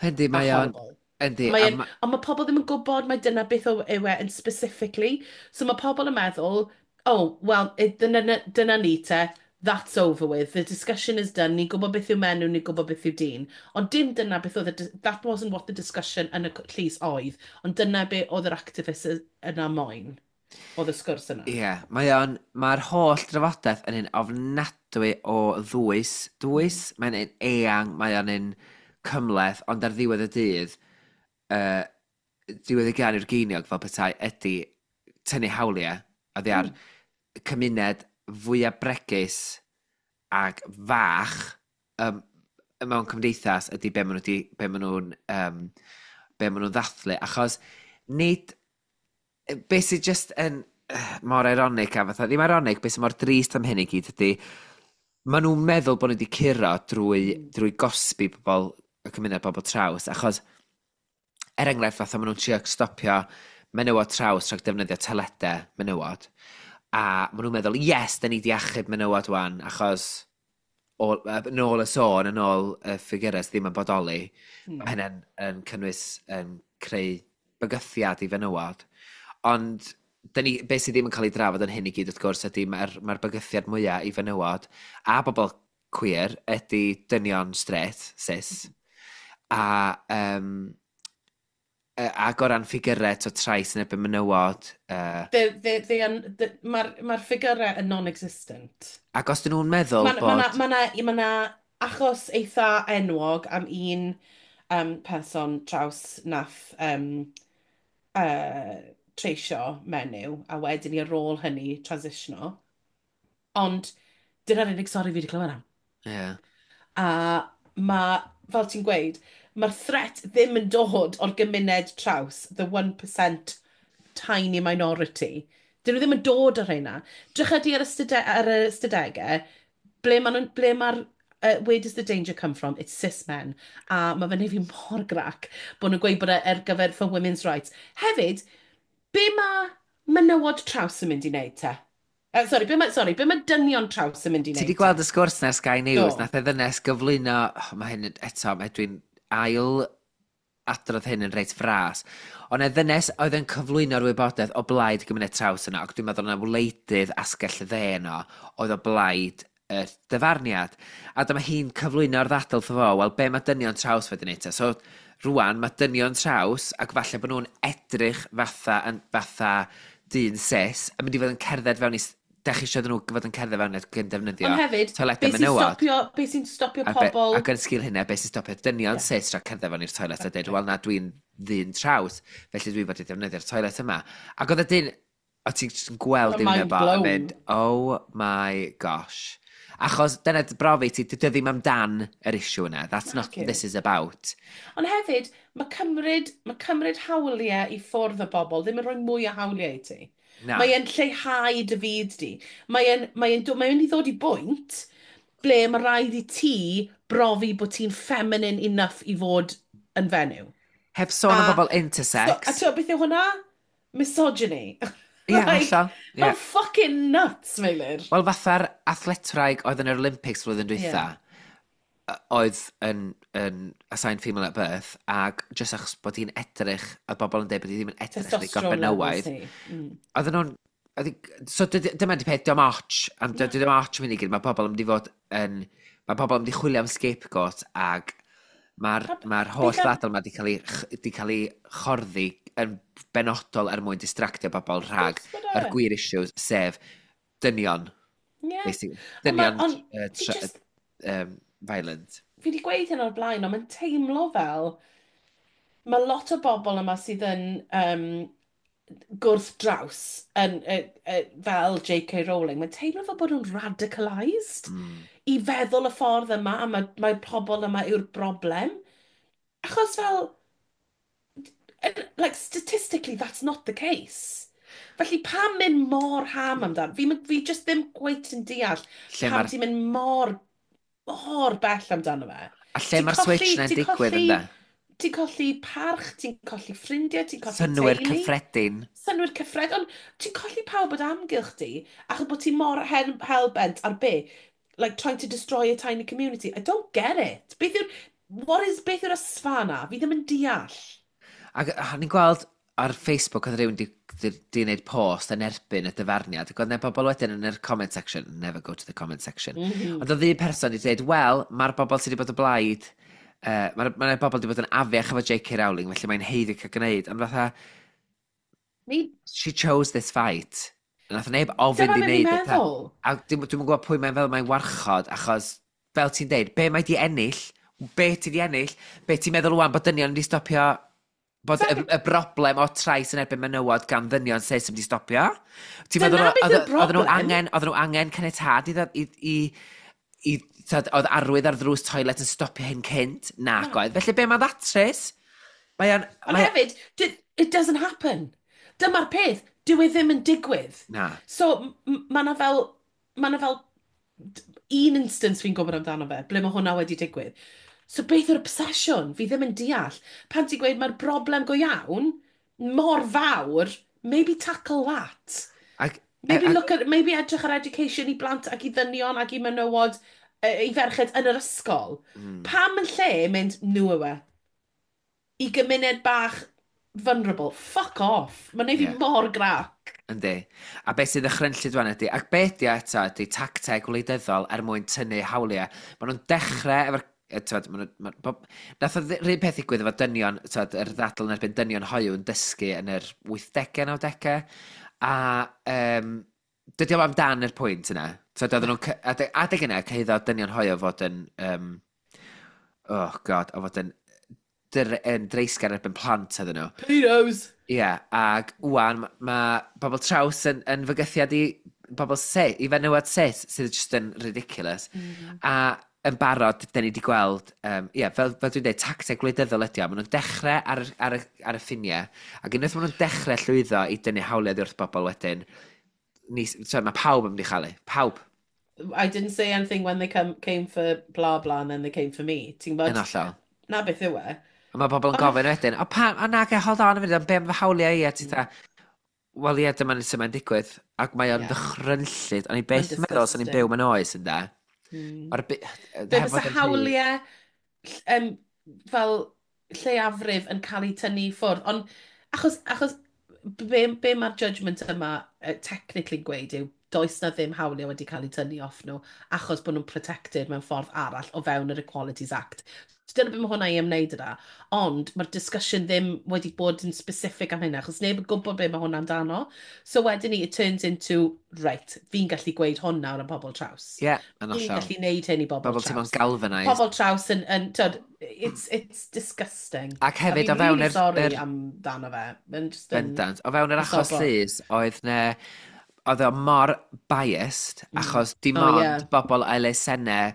Yndi, mae o'n... Yndi. Ond mae pobl ddim yn gwybod mae dyna beth yw e yn specifically. So mae pobl yn meddwl, "Oh, well, dyna ni te, that's over with, the discussion is done, ni'n gwybod beth yw menyw, ni'n gwybod beth yw dyn." Ond dim dyna beth oedd, that wasn't what the discussion yn y llys oedd, ond dyna be oedd yr activist yna moyn, oedd y sgwrs yna. Ie, yeah, mae'r holl drafodaeth yn un ofnadwy o ddwys, dwys, mae'n un eang, mae o'n un cymhleth, ond ar ddiwedd y dydd, diwedd y gân i'r geiniog fel petai ydy tynnu hawliau oddi ar cymuned fwyaf bregus ac fach mewn cymdeithas ydy be maen nhw'n ddathlu, achos nid beth sydd just yn mor ironic a fatha, ddim ironic, beth sydd mor drist am hyn i gyd ydy maen nhw'n meddwl bod nhw wedi curo drwy gosbi pobl, y cymuned bobl traws, achos er enghraifft fatha maen nhw'n trio stopio menywod traws rhag defnyddio toiledau menywod, a maen nhw'n meddwl, "Yes, da ni di achub menywod wan," achos yn ôl y sôn, yn ôl y ffigurau sydd ddim yn bodoli, mae hynny'n yn cynnwys yn creu bygythiad i fenywod. Ond da ni, beth sydd ddim yn cael ei drafod yn hyn i gyd, wrth gwrs, ydy mae'r mae bygythiad mwyaf i fenywod a bobl queer ydy dynion straight, cis. A ac o ran ffigurau to trais yn erbyn menywod, Mae'r ffigurau yn non-existent. Ac os dyn nhw'n meddwl Mae bod... ma achos eitha enwog am un person traws nath treisio menyw, a wedyn i ar ôl hynny transitiono. Ond dyna'r unig stori fi wedi clywed am. A mae, fel ti'n gweud, mae'r threat ddim yn dod o'r gymuned traws, the 1% tiny minority. Dyn nhw ddim yn dod o'r rheina. Drycha di ar y ystadegau, ble mae'r Where does the danger come from? It's cis men. A mae fe'n neud fi mor grac bod nhw'n gweud bod e ar gyfer for women's rights. Hefyd, be mae menywod traws yn mynd i wneud te? Sorry, be mae, sorry, be mae dynion traws yn mynd i Ti wneud wedi gweld y sgwrs na Sky News, Do. nath e ddynes gyflwyno, oh, mae hyn eto, mae dwi'n ail adrodd hyn yn reit fras, ond e ddynes oedd yn cyflwyno'r wybodaeth o blaid y gymuned traws yno, ac dwi'n meddwl yna wleidydd asgell y dde yno oedd o blaid y dyfarniad. A dyma hi'n cyflwyno'r ddadl wrtho fo, wel, be mae dynion traws wedi wneud te? So, rwan, mae dynion traws, ac falle bod nhw'n edrych fatha, yn, fatha dyn cis, yn mynd i fod yn cerdded fewn i... Dach chi eisiau nhw fod yn cerdded fewn ac yn defnyddio Ond hefyd, toiledau be sy'n menywod. stopio, be sy'n stopio A be, pobl? ac yn sgil hynna, beth sy'n stopio dynion cis rhag cerdded fewn i'r toilet a dweud, "Wel na, dwi'n ddyn traws, felly dwi fod i ddefnyddio'r toilet yma." Ac oedd y dyn, o ti'n jyst yn gweld Mind dim efo, a blown. mynd, "Oh my gosh." Achos dyna dy brofi ti, dydy o ddim amdan yr issue yna. That's not Naci. what this is about. Ond hefyd, mae cymryd hawliau i ffwrdd o bobl ddim yn rhoi mwy o hawliau i ti. Na. Mae e'n lleihau dy fyd di. Mae mynd i ddod i bwynt ble mae rhaid i ti brofi bod ti'n feminine enough i fod yn fenyw. Heb sôn am bobl So, intersex. a ti'n beth yw hwnna? Misogyny. Ie, Like, hollol. Ie. Mae'n fucking nuts, Meilir. Wel, fatha'r athletwraig oedd yn yr Olympics flwyddyn dwytha, oedd yn assigned female at birth, ac jyst achos bod hi'n edrych, oedd bobl yn dweud bod hi ddim yn edrych yn ddigon Testosterone levels benywaidd. hi. Oedden nhw'n... So dyma di peth, diolch ots, am dim ots yn mynd i gyd, mae pobl yn mynd i fod yn... Mae pobl yn mynd i chwilio am scapegoat, ac mae'r ma holl beth ddadl yma di cael ei chorddi yn benodol er mwyn distractio bobl rhag Wrth gwrs bod e. yr gwir issues, sef dynion. Basically, Ond ma- dynion ond fi violent. Fi wedi gweud hyn o'r blaen, ond mae'n teimlo fel mae lot o bobl yma sydd yn gwrth-draws yn, fel J.K. Rowling, mae'n teimlo fel bod nhw'n radicalised i feddwl y ffordd yma, a mae pobl yma yw'r broblem. Achos fel, like, statistically, that's not the case. Felly pam mynd mor ham amdan? Fi just ddim cweit yn deall Lle pam mae'r ti'n mynd mor, mor bell amdano fe. A lle Ti'n mae'r switch na'n ti'n digwydd ynde? Ti'n colli parch, ti'n colli ffrindiau, ti'n colli Synnwyr teulu. cyffredin. Synnwyr cyffredin. Ond ti'n colli pawb o amgylch di, achos bod ti mor hell-bent ar be? Like, trying to destroy a tiny community. I don't get it. Beth yw'r ysfa na? Fi ddim yn deall. Ac o'n i'n gweld ar Facebook oedd rhywun di wneud post yn erbyn y dyfarniad. Ac oedd 'na bobl wedyn yn yr comment section. Never go to the comment section. Ond oedd un person wedi dweud, wel, mae'r bobl sydd wedi bod o blaid, mae'r ma bobl wedi bod yn afiach efo J.K. Rowling, felly mae'n haeddu cael gwneud. Ond fatha, Ni, she chose this fight. Nath neb ofyn dyma di be fi'n wneud y peth. meddwl. A dwi'm yn gwybod pwy mae'n fel mae'n warchod, achos, fel ti'n deud, be mae di ennill? Be ti di ennill? Be ti'n meddwl wan bod dynion wedi stopio bod y broblem o trais yn erbyn menywod gan ddynion cis yn wedi stopio? Ti'n Dyna meddwl beth yw'r oedden nhw broblem. angen, oedden nhw angen caniatâd i, ddod- i tyd, oedd arwydd ar ddrws toilet yn stopio hyn cynt? Nac oedd. Felly be mae ddatrys? Mae o'n... Ond hefyd, it doesn't happen. Dyma'r peth, dyw e ddim yn digwydd. Na. So, mae 'na fel un instance fi'n gwybod amdano fe, ble mae hwnna wedi digwydd. So beth yw'r obsesiwn? Fi ddim yn deall. Pan ti'n gweud mae'r broblem go iawn, mor fawr, maybe tackle that. Ac, Maybe look at, maybe edrych ar education i blant ac i ddynion ac i menywod, i ferched yn yr ysgol. Pam yn lle mynd, nhw yw e? I gymuned bach vulnerable. Fuck off. Mae'n neud fi mor grac. Yndi. A beth sydd ddychrynllyd wan ydy, ac beth di eto ydy tacteg wleidyddol er mwyn tynnu hawliau. Maen nhw'n dechrau efo'r t'wod, ma' nhw- nath o 'run peth ddigwydd efo dynion, t'wod, yr ddadl yn erbyn dynion hoyw yn dysgu yn yr 80au, 90au. A dydy o'm amdan yr pwynt yna. T'wod, oedden nhw'n adeg yna, cyhuddo dynion hoyw fod yn, oh God, o fod yn dreisgar erbyn plant oedden nhw. Pedos. Ie, yeah, ac wan, ma bobl traws yn fygythiad i bobl cis, i fenywod cis, sydd just yn ridiculous. A yn barod, da ni wedi gweld, yeah, fel dwi'n dweud, tacteg gwleidyddol ydi o. Maen nhw'n dechrau ar y ffiniau, ac unwaith maen nhw'n dechrau llwyddo i dynnu hawliau wrth bobl wedyn, ni, so, mae pawb yn mynd i chael ei. Pawb. I didn't say anything when they came for blah blah and then they came for me. Ti'n Yn gwybod? hollol. Na beth yw e. A mae pobl yn gofyn wedyn, o pam, o na, hold on a minute, am be am fy hawliau i, a ti dda, wel ie, dyma sut mae'n digwydd. Ac mae o'n ddychrynllyd, o'n i byth yn meddwl sy'n ni'n byw mewn oes, ynda. Mae'r Be fysa hawliau fel lleiafrif yn cael eu tynnu i ffwrdd, ond achos be mae'r judgment yma technically gweud yw does na ddim hawliau wedi cael eu tynnu off nhw achos bod nhw'n protected mewn ffordd arall o fewn yr Equalities Act. So dyna beth mae hwnna i ymwneud yna. Ond mae'r discussion ddim wedi bod yn specific am hynna, achos neb yn gwybod be mae hwnna amdano. So wedyn ni, it turns into, right, fi'n gallu gweud hwn nawr am pobl traws. Ie, yeah, yn Fi'n hollol. gallu neud hyn i bobl Pobl traws. teimlo'n galvanised. Pobl traws yn tyd, it's disgusting. Ac hefyd a o fewn fi'n really sorry amdano fe. Mae'n just yn Bendant. O fewn yr achos sobor. llys, oedd ne, oedd o mor biased, achos dim ond bobl elusennau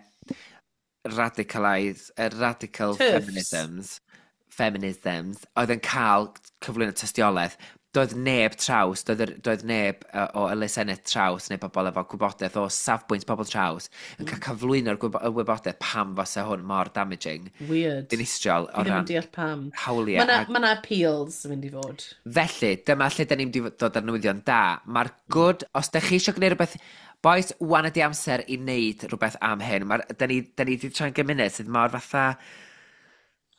radicalised, radical TERFs. feminisms, oedd yn cael cyflwyno tystiolaeth. Doedd neb traws, doedd neb o elusennau traws neu bobl efo gwybodaeth o safbwynt pobl traws yn cael cyflwyno'r y wybodaeth pam fasa hwn mor damaging, Weird. dinistriol o Fi ddim ran yn deall pam. hawliau. Mae 'na appeals yn mynd i fod. Felly, dyma lle da ni'n mynd i dod ar newyddion da. Mae'r good, os da chi eisiau gwneud rhywbeth, boys, wan ydi amser i wneud rhywbeth am hyn. Da ni wedi troi'n gymuned sydd mor fatha,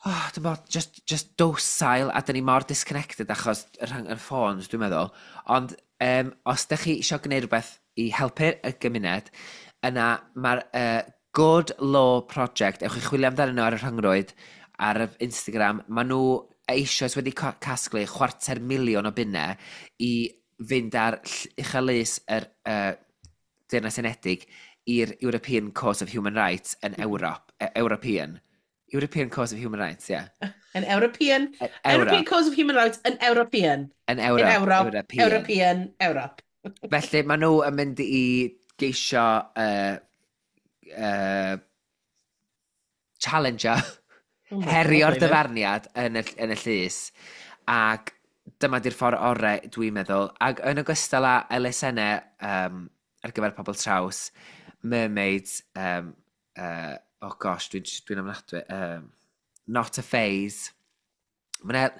oh, dwi'n meddwl, just docile, a da ni mor disconnected achos y ffôns, dwi'n meddwl. Ond os da chi eisiau gwneud rhywbeth i helpu y gymuned, yna mae'r Good Law Project, ewch i chwilio amdanyn nhw ar y rhyngrwyd, ar y Instagram, maen nhw eisoes wedi casglu 250,000 o bunnau i fynd ar Uchel Lys yr Deyrnas Unedig i'r European Court of Human Rights yn Ewrop. European Court of Human Rights, ie. Yeah. An European, Ewrop. European Court of Human Rights, yn European. Yn In Ewrop. Europe. European. European, Europe. Felly, maen nhw yn mynd i geisio challenger, Oh my herio'r God, David. dyfarniad yn y llys. Ac dyma di'r ffordd orau, dwi'n meddwl. Ac yn ogystal â elusennau ar gyfer pobl traws, mermaids, oh gosh, dwi ofnadwy, Not a Phase. Mae 'na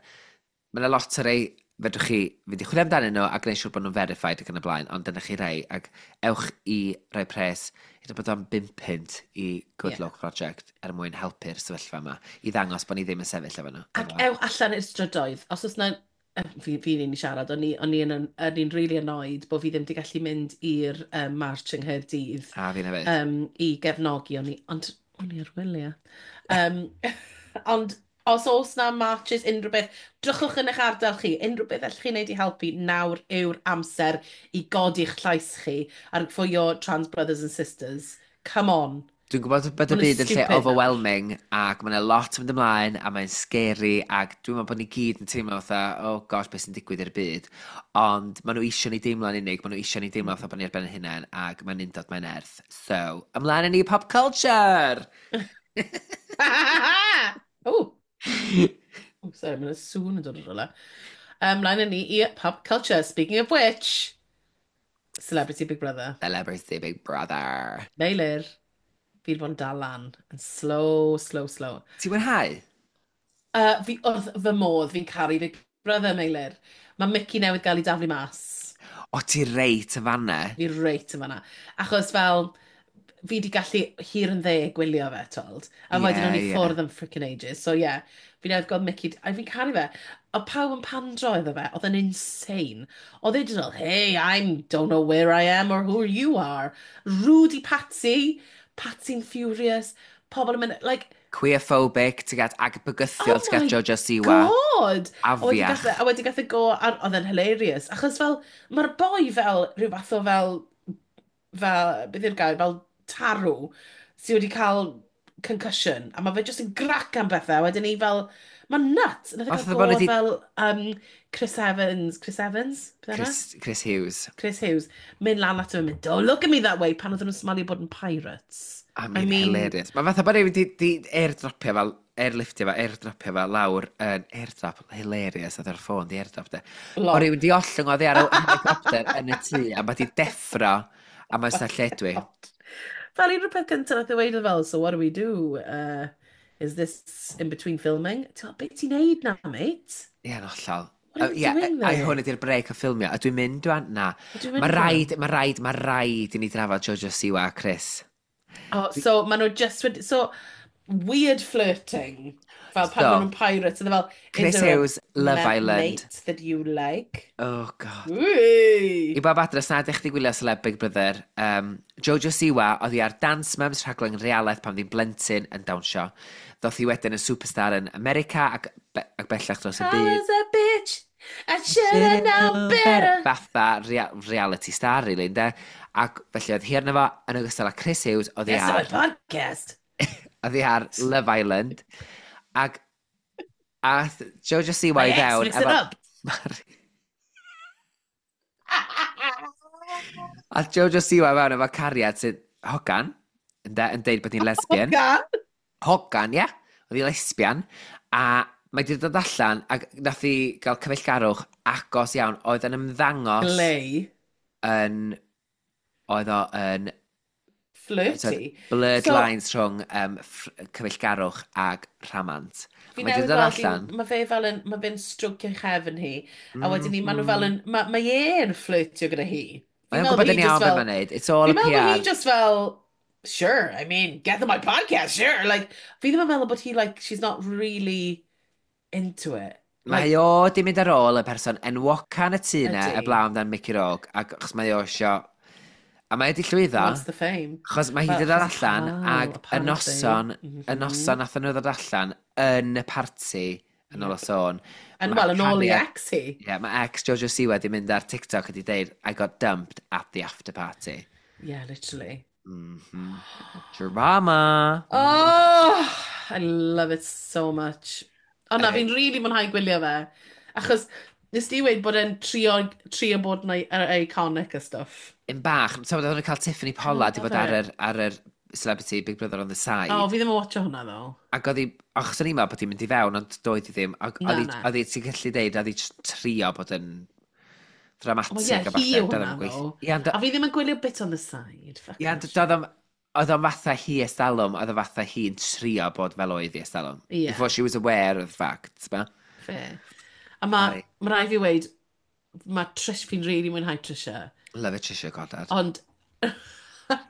ma lot o rei fedrwch chi fynd i chwilio amdanyn nhw a gwneud siŵr bod nhw'n verified ac yn y blaen, ond dyna chi rei, ac ewch i roi pres, hyd yn bod o'n £5 i Good Luck Project er mwyn helpu'r sefyllfa yma, i ddangos bod ni ddim yn sefyll efo nhw. Ac ewch allan i'r strydoedd. Os oes na... Fi'n un i siarad, o'n i'n really annoyed bod fi ddim wedi gallu mynd i'r march yng Nghaerdydd A fi'n hefyd. I gefnogi, ond o'n i ar wyliau. Ond os oes na marches, unrhyw beth, drychwch yn eich ardal chi, unrhyw beth allwch chi wneud i helpu, nawr yw'r amser i godi'ch llais chi ar for your trans brothers and sisters. Come on. Dwi'n gwybod bod y Ma' nhw'n byd yn lle stupid nawr. overwhelming ac mae'n lot yn mynd ymlaen a mae'n scary ac dwi'n meddwl bod ni gyd yn teimlo fatha, oh gosh, beth sy'n digwydd i'r byd. Ond maen nhw eisiau ni deimlo'n unig, maen nhw eisiau ni deimlo fatha bod ni ar ben ein hunain ac mae'n undod, mae'n nerth. So, ymlaen â ni pop culture! Oh. Oh, sorry, mae'n sŵn yn dod o'r rhywle. Ymlaen â ni i pop culture. Speaking of which, Celebrity Big Brother. Celebrity Big Brother. Meilir, fi wedi bod yn dal lan. Yn slow, slow, slow. Ti'n mwynhau? Fi wrth fy modd, fi'n caru Big Brother, Meilir. Mae Mickey newydd gael ei daflu mas. O, ti reit y fanna. Fi reit yn fanna. Achos fel, fi wedi gallu hir yn dde gwylio fe, told. A wedyn o'n i ffwrdd am freaking ages. So yeah, fi newydd gweld Mickey, a fi'n caru fe. O pawb yn pandro iddo fe, oedd yn insane. Oedd e just fel, "Hey, I don't know where I am or who you are." Rude i Patsy, Patsy'n furious. Pobl yn mynd, like, Queerphobic, ti'n gad, ag bygythiol, Oh ti'n gad my Jojo Siwa. God! A wedi Afiach. A wedi gath e go, ar, oedd e'n hilarious. Achos fel, mae'r boi fel rhyw fath o fel, beth yw'r gair, fel tarw, sydd wedi cael concussion, a mae fe jyst yn grac am bethau, a wedyn ni fel, mae'n nuts. Nath e Fatha gael bod go nhw fel Chris Evans, Chris Evans? Beth yna? Chris Hughes. Chris Hughes, mynd lan ato fe, mynd, "Don't look at me that way," pan oedden nhw'n smalio bod yn pirates. I mean, hilarious. Mae fatha bod rhywun di airdropio fel, airliftio fel, airdropio fel lawr yn airdrop, hilarious, oedd ar ffôn di airdrop de. Lot. O rhywun di ollwng oddi ar y helicopter yn y tŷ a mae di deffro a mae'n sa lledwi. Fel un o'r peth cyntaf nath e weud oedd fel, "So what do we do? Is this in between filming?" Ti'n meddwl, beth ti'n neud na, mate? Ie, yn hollol. What are you doing Ai there? hwn ydy'r break o ffilmio. A dwi'n mynd dwi'n... Na. Dwi'n mynd Mae rwan. rhaid, mae rhaid, mae rhaid i ni drafod Jojo Siwa a Chris. Oh, so maen nhw just wedi. So, weird flirting. Fel pan So, maen nhw'n pirates, oedd e fel, "Is Chris there a Hughes, Love Island. mate that you like?" Oh, God. Wee! I bob adres na ydych chi gwylio Celeb Big Brother, Jojo Siwa oedd hi ar Dance Mums, rhaglen realaeth pan ddi'n blentyn yn dawnsio. Ddoth hi wedyn yn superstar yn America ac bellach dros y I byd. was a bitch, I should have known better. Fatha reality star, really, ynde? Ac felly oedd hi arno fo, yn ogystal â Chris Hughes, oedd hi Yes, my ar, podcast. oedd hi ar Love Island. Ac ath Jojo Siwa My i ex fewn mixed it up. Ath Jojo Siwa i fewn efo cariad sydd hogan, ynde, yn deud bod hi'n lesbian. Hogan. Hogan, ie. Oedd hi lesbian. A mae wedi dod allan ac nath hi gael cyfeillgarwch agos iawn. Oedd yn ymddangos Glei. yn... Oedd o yn Flirty. Blurred So, lines rhwng cyfeillgarwch ag rhamant. Fi Mae wedi newydd dod weld hi, allan. mae fe fel yn, mae fe'n strwcio chefn hi, a wedyn ni, maen nhw fel yn, mae e'n flirtio gyda hi. Fi'n Mae'n meddwl gwybod bod yn hi iawn just beth fel, mae'n neud. It's all a fi'n meddwl bod hi PR. just fel, "Sure, I mean, get on my podcast, sure." Like, fi ddim yn meddwl bod hi, like, she's not really into it. Mae Like, o di mynd ar ôl y person enwoca yn y tŷ na, Ydy. y blaw amdan Mickey Rourke, ac achos mae o isio. A mae wedi llwyddo, Wants the fame. achos mae hi Well, wedi dod achos allan, cael, ac y apparently. noson, y noson nath nhw ddod allan yn y parti, yn ôl o sôn. And ma' well, yn ôl i cariad- ex hi. Ie, mae ex Jojo Siwa wedi mynd ar TikTok a wedi deud, "I got dumped at the after party." Yeah, literally. Drama! Oh, I love it so much. O na, fi'n really mwynhau gwylio fe. Achos nes di weud bod e'n trio bod yn iconic a stuff. Un bach, so oedd nhw'n cael Tiffany Pollard i love fod ar it. yr Celebrity Big Brother on the side. O, fi ddim yn watcho hwnna, ddo. Ac oedd hi, achos o'n i'n meddwl bod hi'n mynd i fewn, ond doedd hi ddim. Ac Na, oedd hi, na. oedd hi, ti'n gallu deud, oedd hi jyst trio bod yn dramatic Wel, ie, a hi falle. yw Doedd hwnna, o'm yn gweithio. ddo. Ie, ond A fi ddim yn gwylio bit on the side. Fuck ie, ond that. Oedd o'n fatha hi estalwm, oedd o fatha hi'n trio bod fel oedd hi estalwm. Ie. Before she was aware of the fact, ba? Fair. A mae Aye. ma rhaid fi weud, mae Trish, fi'n really mwynhau Trisha. Love it, Trisha Goddard. Ond, ar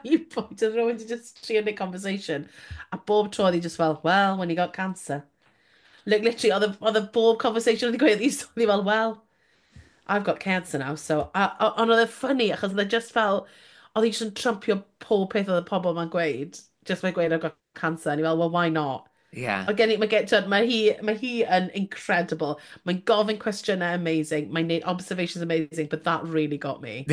un pwynt, oedd rhywun wedi just trio neud conversation. A bob tro oedd hi just fel, "Well, when you got cancer." Like, literally, oedd y bob conversation oedd hi gweud, oedd hi fel, "Well, I've got cancer now, so." Ond oedd e funny, achos oedd e just fel, oedd hi just yn trumpio pob peth oedd y pobl ma'n gweud. Just by gweud, "I've got cancer." And hi fel, "Well, why not?" Mae gen i, mae gen, twyd, mae hi yn incredible. Mae'n gofyn cwestiynau amazing. Mae'n neud observations amazing, but that really got me.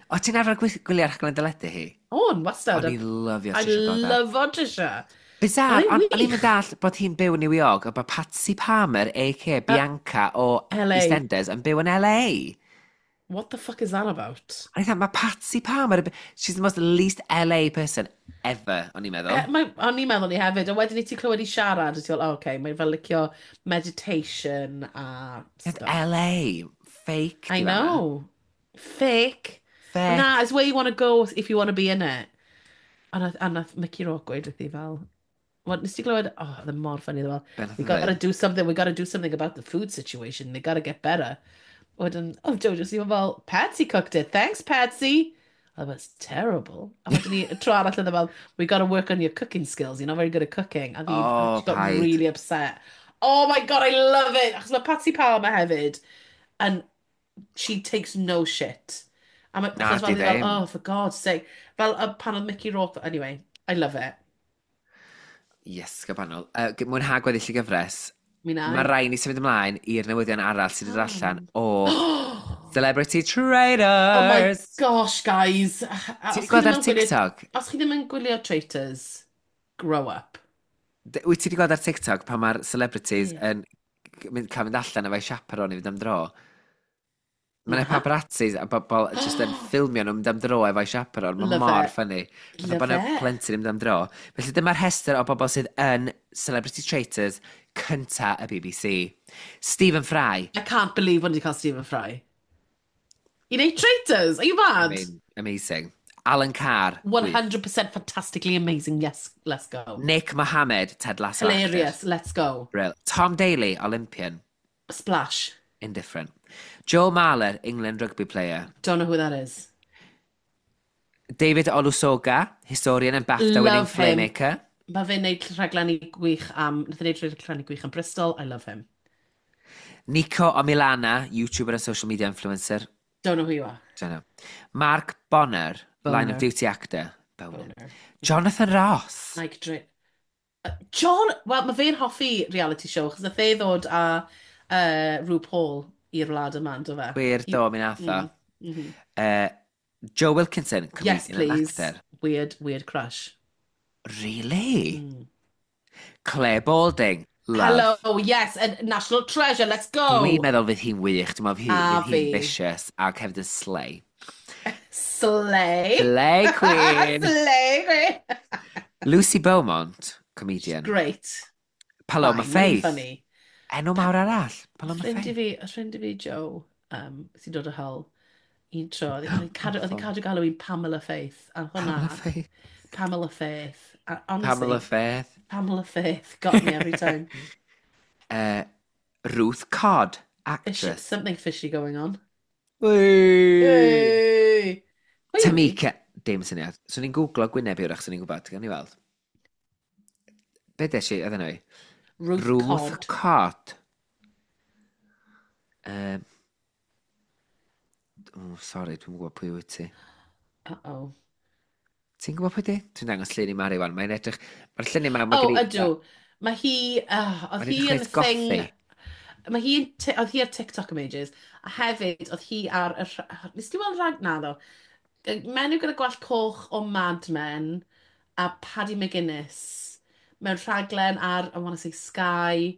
O, ti'n arfer gwylio'r rhaglen deledu hi? O'n, wastad. O'n i'n lyfio I Trisha Goddard. love o Trisha. Bizarre, Oedd hi'n ond o'n i'n wych. dall bod hi'n byw yn New York, a bod Patsy Palmer, a.k.a. Bianca o LA. EastEnders, yn byw yn LA. What the fuck is that about? A o'n i'n mae Patsy Palmer, she's the most least LA person ever, o'n i'n meddwl. Mae, o'n i'n meddwl ni hefyd, a wedyn i ti clywed i siarad, a ti'n fel, oh, okay, mae'n fel licio meditation a It's stuff. LA, fake. I di fan'na. know. Fake. Fake. Na, it's where you want to go if you want to be in it. A nath Mickey Rourke gweud wrthi fel, what, nes ti glywed, oh, oedd e mor funny, oedd e Be fel, nath "We o gotta ddeud? do something, we gotta do something about the food situation, they gotta get better." Wedyn, oh, Jojo Siwa fel, "Patsy cooked it, thanks, Patsy." Oh, it's terrible. A wedyn ni, y tro arall oedd e fel, "We gotta work on your cooking skills, you're not very good at cooking." A Oh, she got paid. really upset. Oh my God, I love it! Achos mae Patsy Palmer hefyd, and she takes no shit. A mae, Na, achos fel di oedd hi fel, ddim. "Oh, for God's sake." Fel pan oedd Mickey Rourke, anyway, I love it. Yes, gyfannol. Mwynhau gweddill y gyfres. Mi na. Mae rhaid ni symud ymlaen i'r newyddion arall sydd wedi dod allan o Celebrity Traitors. Oh my gosh, guys. Ti wedi gweld ar TikTok? Os chi ddim yn gwylio Traitors, grow up. Wyt ti wedi gweld ar TikTok pan mae'r celebrities Ie. yn cael mynd allan efo'i chaperone i fynd am dro? Mae yna Na. paparazzis a bobl jyst yn ffilmio nhw'n mynd am dro efo'i chaperone. Mae Love mor it. funny. Fatha Love bod yna it. plentyn yn mynd am dro. Felly dyma'r rhestr o bobl sydd yn Celebrity Traitors cynta y BBC. Stephen Fry. I can't believe when you cael Stephen Fry. I wneud Traitors? Are you I mad? mean, amazing. Alan Carr. 100% fantastically amazing, yes, let's go. Nick Mohammed, Ted Lasso Hilarious, actor. Let's go. Brill. Tom Daley, Olympian. Splash. Indifferent. Joe Marler, England rugby player. Don't know who that is. David Olusoga, historian and BAFTA winning filmmaker. Mae fe'n neud rhaglenni gwych am... Nath e neud rhaglenni gwych am Bristol. I love him. Nico Omilana, YouTuber and social media influencer. Don't know who you are. Don't know. Mark Bonner, Boner. Line of Duty actor. Boner. Boner. Jonathan Ross. Mike Dre... John... Wel, mae fe'n hoffi reality show, achos nath e ddod â RuPaul i'r wlad yma, ynddo fe? Wir, do, mi nath o. Joe Wilkinson, comedian Yes, please. And actor. Weird, weird crush. Really? Mm. Claire Balding. Love. Hello, yes, and National Treasure, let's go! Dwi'n meddwl fydd hi'n wych, dwi'n meddwl A fydd hi'n fi. Vicious ac hefyd yn slay. Slay! Slay queen! Slay queen! Lucy Beaumont, comedian. Great. Paloma Fine, really Faith. funny. Enw mawr arall. Paloma Ffrind i Faith. fi, y ffrind i fi Joe, sy'n dod o Hull, un tro, oedd hi'n cadw galw hi'n Pamela Faith. A hwnna, Pamela Faith. Pamela Faith. A honestly, Pamela Faith. Pamela Faith got me every time. Ruth Codd, Fish, actress. something fishy going on. Whee! Hey! Wait, Tamika, dim syniad. Swn i'n googlo gwyneb i wrach, swn i'n gwybod, gawn ni weld. Be des i, oedd enw i? Ruth, Ruth Codd. Codd. Oh, sorry, dwi'n gwybod pwy wyt ti. Uh-oh. Ti'n gwybod pwy di? Dwi'n dangos llun i Mari wan. Mae'n edrych... Mae'r llun yma... Mae Oh, gen i- ydw. Mae hi... Oedd Mae'n hi edrych yn reit thing... gothy. Mae hi yn... Oedd hi ar TikTok am ages. A hefyd, oedd hi ar... Nes ti weld rhag... Na, ddo. Menyw gyda gwallt coch o Mad Men a Paddy McGuinness mewn rhaglen ar, I want to say, Sky,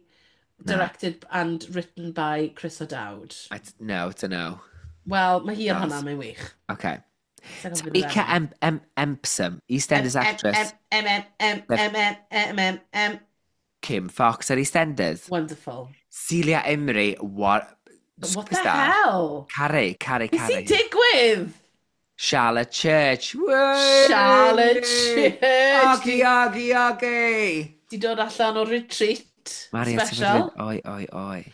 Na. directed and written by Chris O'Dowd. No, it's a no. Wel, mae hi ar Does. hwnna, mae'n wych. Okay. Sa i'n gwybod beth Tamika yw'r enw. M M Empson, EastEnders M, actress. M, M, M, M, M, M, M, M. Kim Fox ar EastEnders. Wonderful. Celia Imrie, what... What the Superstar. hell? Caru, caru, Beth sy'n caru. digwydd? Charlotte Church. Wey! Charlotte Church. Oggy, oggy, oggy. Di dod allan o retreat Mari, ti'n special. mynd, oi, oi, oi.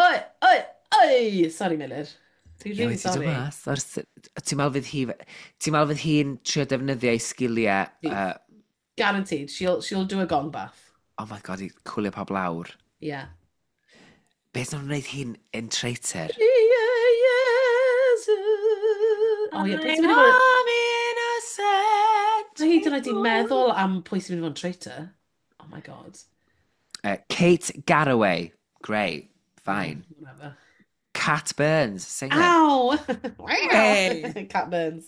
Oi, oi, oi! Sorry, Miller. Dwi'n Ie, really wedi dod sorry. mas. Ti'n meddwl fydd hi... Ti'n meddwl fydd hi'n trio defnyddio ei sgiliau... Fydd. Guaranteed. She'll do a gong bath. Oh my God, i cwlio pawb lawr. Yeah. Beth nhw'n gwneud hi'n in traitor? Yes. Oh, yeah. Beth sy'n mynd i fod... I'm innocent. Mae hyd yn oed i meddwl am pwy sy'n mynd i fod yn traitor. Oh my God. Kate Garraway. Great. Fine. Whatever. Cat Burns, singer. Ow! Hey! Cat Burns.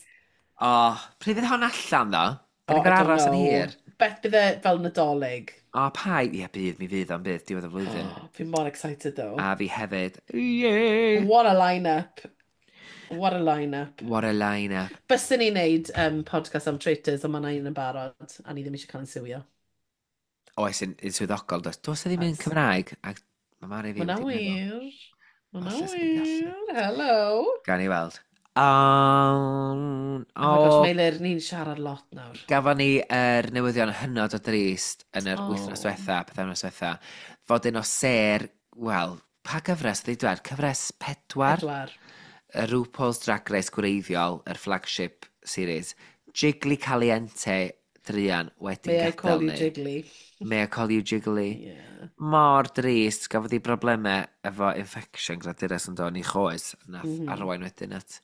Oh, pryd fydd hon allan, ddo? Da Oh, ni'n I gorfod don't aros yn know. hir. Beth bydd e fel Nadolig? O, pa? Ie, bydd, mi fydd o'n bydd, diwedd y flwyddyn. Oh, fi mor excited though. A fi hefyd. Yay! What a line-up. What a line-up. What a line-up. Byswn ni'n neud podcast am traitors, ond mae yna un yn barod, a ni ddim eisiau cael ein siwio. Oes, yn swyddogol, does. Does e ddim yn Oes. Cymraeg, ac mae Mari fi Hwna wedi meddwl. wir. Hwna Falle swn i'n gallu. wir. Hello. Gawn ni weld. Oh my gosh, Oh, Meilir, ni'n siarad lot nawr. gafon ni yr newyddion hynod o drist yn yr Oh. wythnos diwetha, pythefnos diwetha, fod un o sêr, wel, pa gyfres oedd ei dweud? Cyfres 4? 4. Y RuPaul's Drag Race gwreiddiol, yr flagship series, Jiggly Caliente druan wedi May I call gadael you ni. Jiggly? May I call you Jiggly? Yeah. Mor drist, gafodd hi broblemau efo infection gradures yn dod i choes, nath arwain wedyn at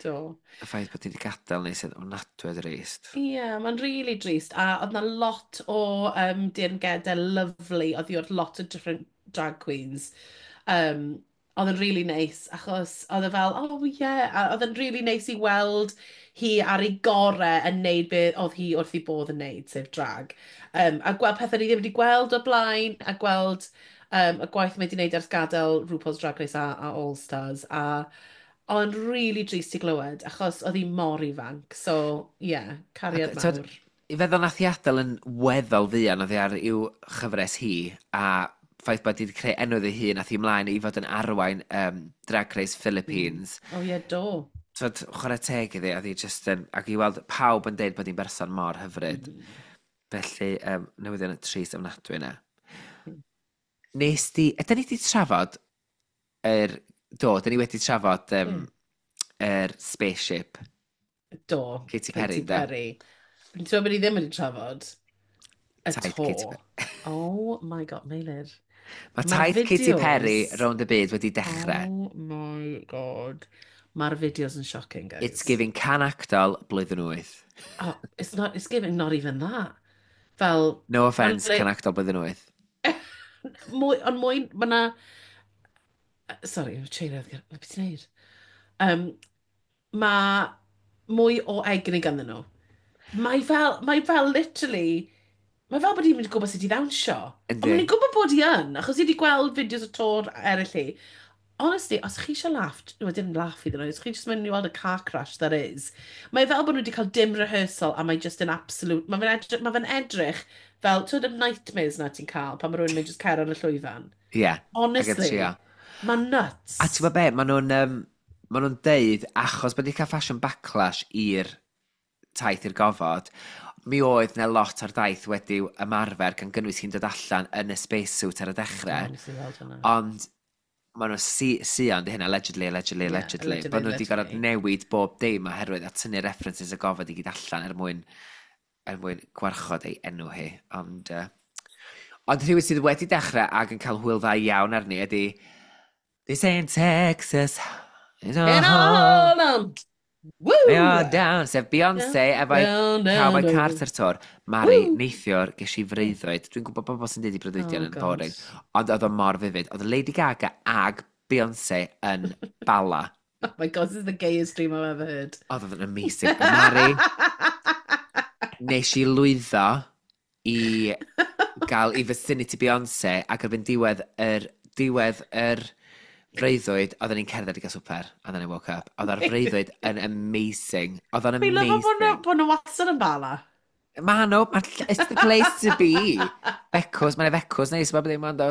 Do. y ffaith bod hi wedi gadael ni sydd ofnadwy o drist. Ie, yeah, mae'n really drist. A oedd na lot o dirngedau lovely. Oedd hi wrth lot o different drag queens. Oedd yn really nice, achos oedd e fel, oh yeah, a oedd yn really nice i weld hi ar ei gorau yn neud beth oedd hi wrth ei bodd yn neud, sef drag. A gweld pethau ni ddim wedi gweld o'r blaen, a gweld y gwaith mae wedi wneud ers gadael RuPaul's Drag Race a All Stars, a oedd yn really drist i glywed, achos oedd hi mor ifanc. So, yeah, cariad Ac, t'od, mawr. I feddwl nath hi adael yn weddol fuan oedd hi ar i'w chyfres hi, a ffaith bod hi wedi creu enw iddi hun, nath hi ymlaen i fod yn arwain Drag Race Philippines. Oh yeah, do. Twyd, chwarae teg iddi, oedd hi just yn. Ac i weld pawb yn deud bod hi'n berson mor hyfryd. Felly, newyddion y trist ofnadwy yna. Nes di. Ydyn ni wedi trafod yr? Do, dyn ni wedi trafod yr spaceship. Do. Katy Perry, Katy de. Perry. Ti'n meddwl bod ni ddim wedi trafod? Y Taith to. Katy Perry. Oh my God, Meilir. Mae Mae'r taith Katy Perry fideos. rownd y byd wedi dechrau. Oh my God. Mae'r fideos yn shocking, guys. It's giving can actol blwyddyn 8. Oh, it's not, it's giving not even that. Fel, No offence, Ma'n can actol blwyddyn 8. Mwy, ond mwy, mae na. Sorry, chain beth ti'n neud? Mae mwy o egni ganddyn nhw. Mae fel literally, mae fel bod hi'n mynd i gwybod sut i ddawnsio. Ond Yndi. mae'n gwybod bod hi yn, achos hi wedi gweld fideos o tour eraill hi. Honestly, os chi eisiau laugh, well, dim laugh iddyn nhw, os chi jyst mynd i weld y car crash that is, mae fel bod nhw wedi cael dim rehearsal a mae just an absolute. Mae fe'n edrych fel, ti'n y nightmares na ti'n cael pan mae rhywun mynd just cer ar y llwyfan. Ie. Yeah, Honestly, trio. mae'n nuts. A ti'n gwybod be, maen nhw'n deud, achos bod wedi cael fashion backlash i'r taith i'r gofod, mi oedd na lot o'r daith wedi ymarfer gan gynnwys hi'n dod allan yn y spacesuit ar y dechrau. Oh, nes i weld hwnna. Ond maen nhw'n sion di hynna, allegedly, allegedly, Ie, allegedly. allegedly, Bod nhw wedi gorfod allegedly. newid bob dim oherwydd a tynnu references y gofod i gyd allan er mwyn gwarchod ei enw hi. Ond rhywun sydd wedi dechrau ac yn cael hwyl dda iawn arni ydy This ain't Texas. It's all In all on! Woo! They are down, sef Beyoncé efo'i Down, down, Cowboy down. Carter tour. Mari, Woo! neithiwr, ges i freuddwyd. Dwi'n gwybod bobl sy'n dweud i breuddwydion Oh, yn God. boring. Ond oedd o mor vivid. Oedd Lady Gaga ag Beyoncé yn Bala. Oh my God, this is the gayest dream I've ever heard. Oedd o'n amazing. Mari, nes i lwyddo i gael i vicinity Beyoncé ac erbyn diwedd yr freuddwyd, oedden ni'n cerdded i gael swper, and then I woke up. Oedd o'r freuddwyd yn amazing. Oedd o'n Fi'n lyfo bod nhw amazing. bod nhw wastad yn Bala. Ma nhw, it's the place to be. Becws, mae'n becws neis, mae ddim ond.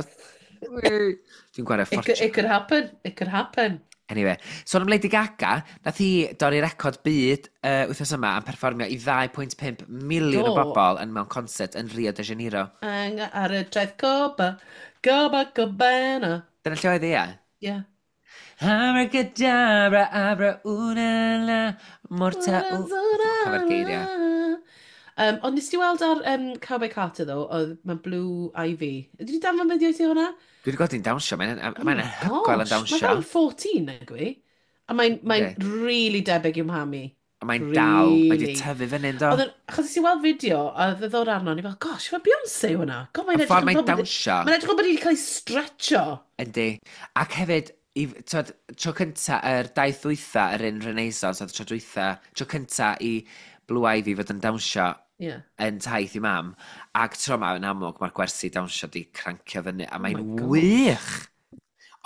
Dwi'n gwario It could, ffortiwn. it could happen. It could happen. Anyway, sôn am Lady Gaga, nath hi dorri record byd wythnos yma am perfformio i 2.5 miliwn o Do. bobl yn mewn concert yn Rio de Janeiro. Ang ar y traeth Copa, Copacabana. Dyna lle oedd hi, ie? Yeah. Abracadabra, abra, una, la, morta, u. Cofio'r geiriau. Ond nes ti weld ar Cowboy Carter, ddo, oedd mae Blue Ivy. Ydy di danfon fideo i ti hwnna? Dwi wedi gweld hi'n dawnsio, mae'n mae Oh my anhygoel yn gosh, dawnsio. Mae fel 14, nag yw? A mae'n Yndi. really debyg i'w mham hi. A mae'n dal, mae wedi Really. tyfu fyny, do. Oedd yn, achos nes i weld fideo, a oedd y ddod arno, o'n i fel, gosh, mae Beyoncé hwnna. God, mae'n Y edrych ffordd yn mae'n fel bod- dawnsio. Mae'n edrych fel bod hi wedi cael ei stretcho. Yndi. Ac hefyd, i, twod, tro cynta, yr daith dwytha, yr un Renaissance, oedd tro dwytha, tro cynta i Blue Ivy fod yn dawnsio yn taith i mam. Ac tro yma, yn amlwg, mae'r gwersi dawnsio di crancio fyny, a Oh mae'n my gosh. wych!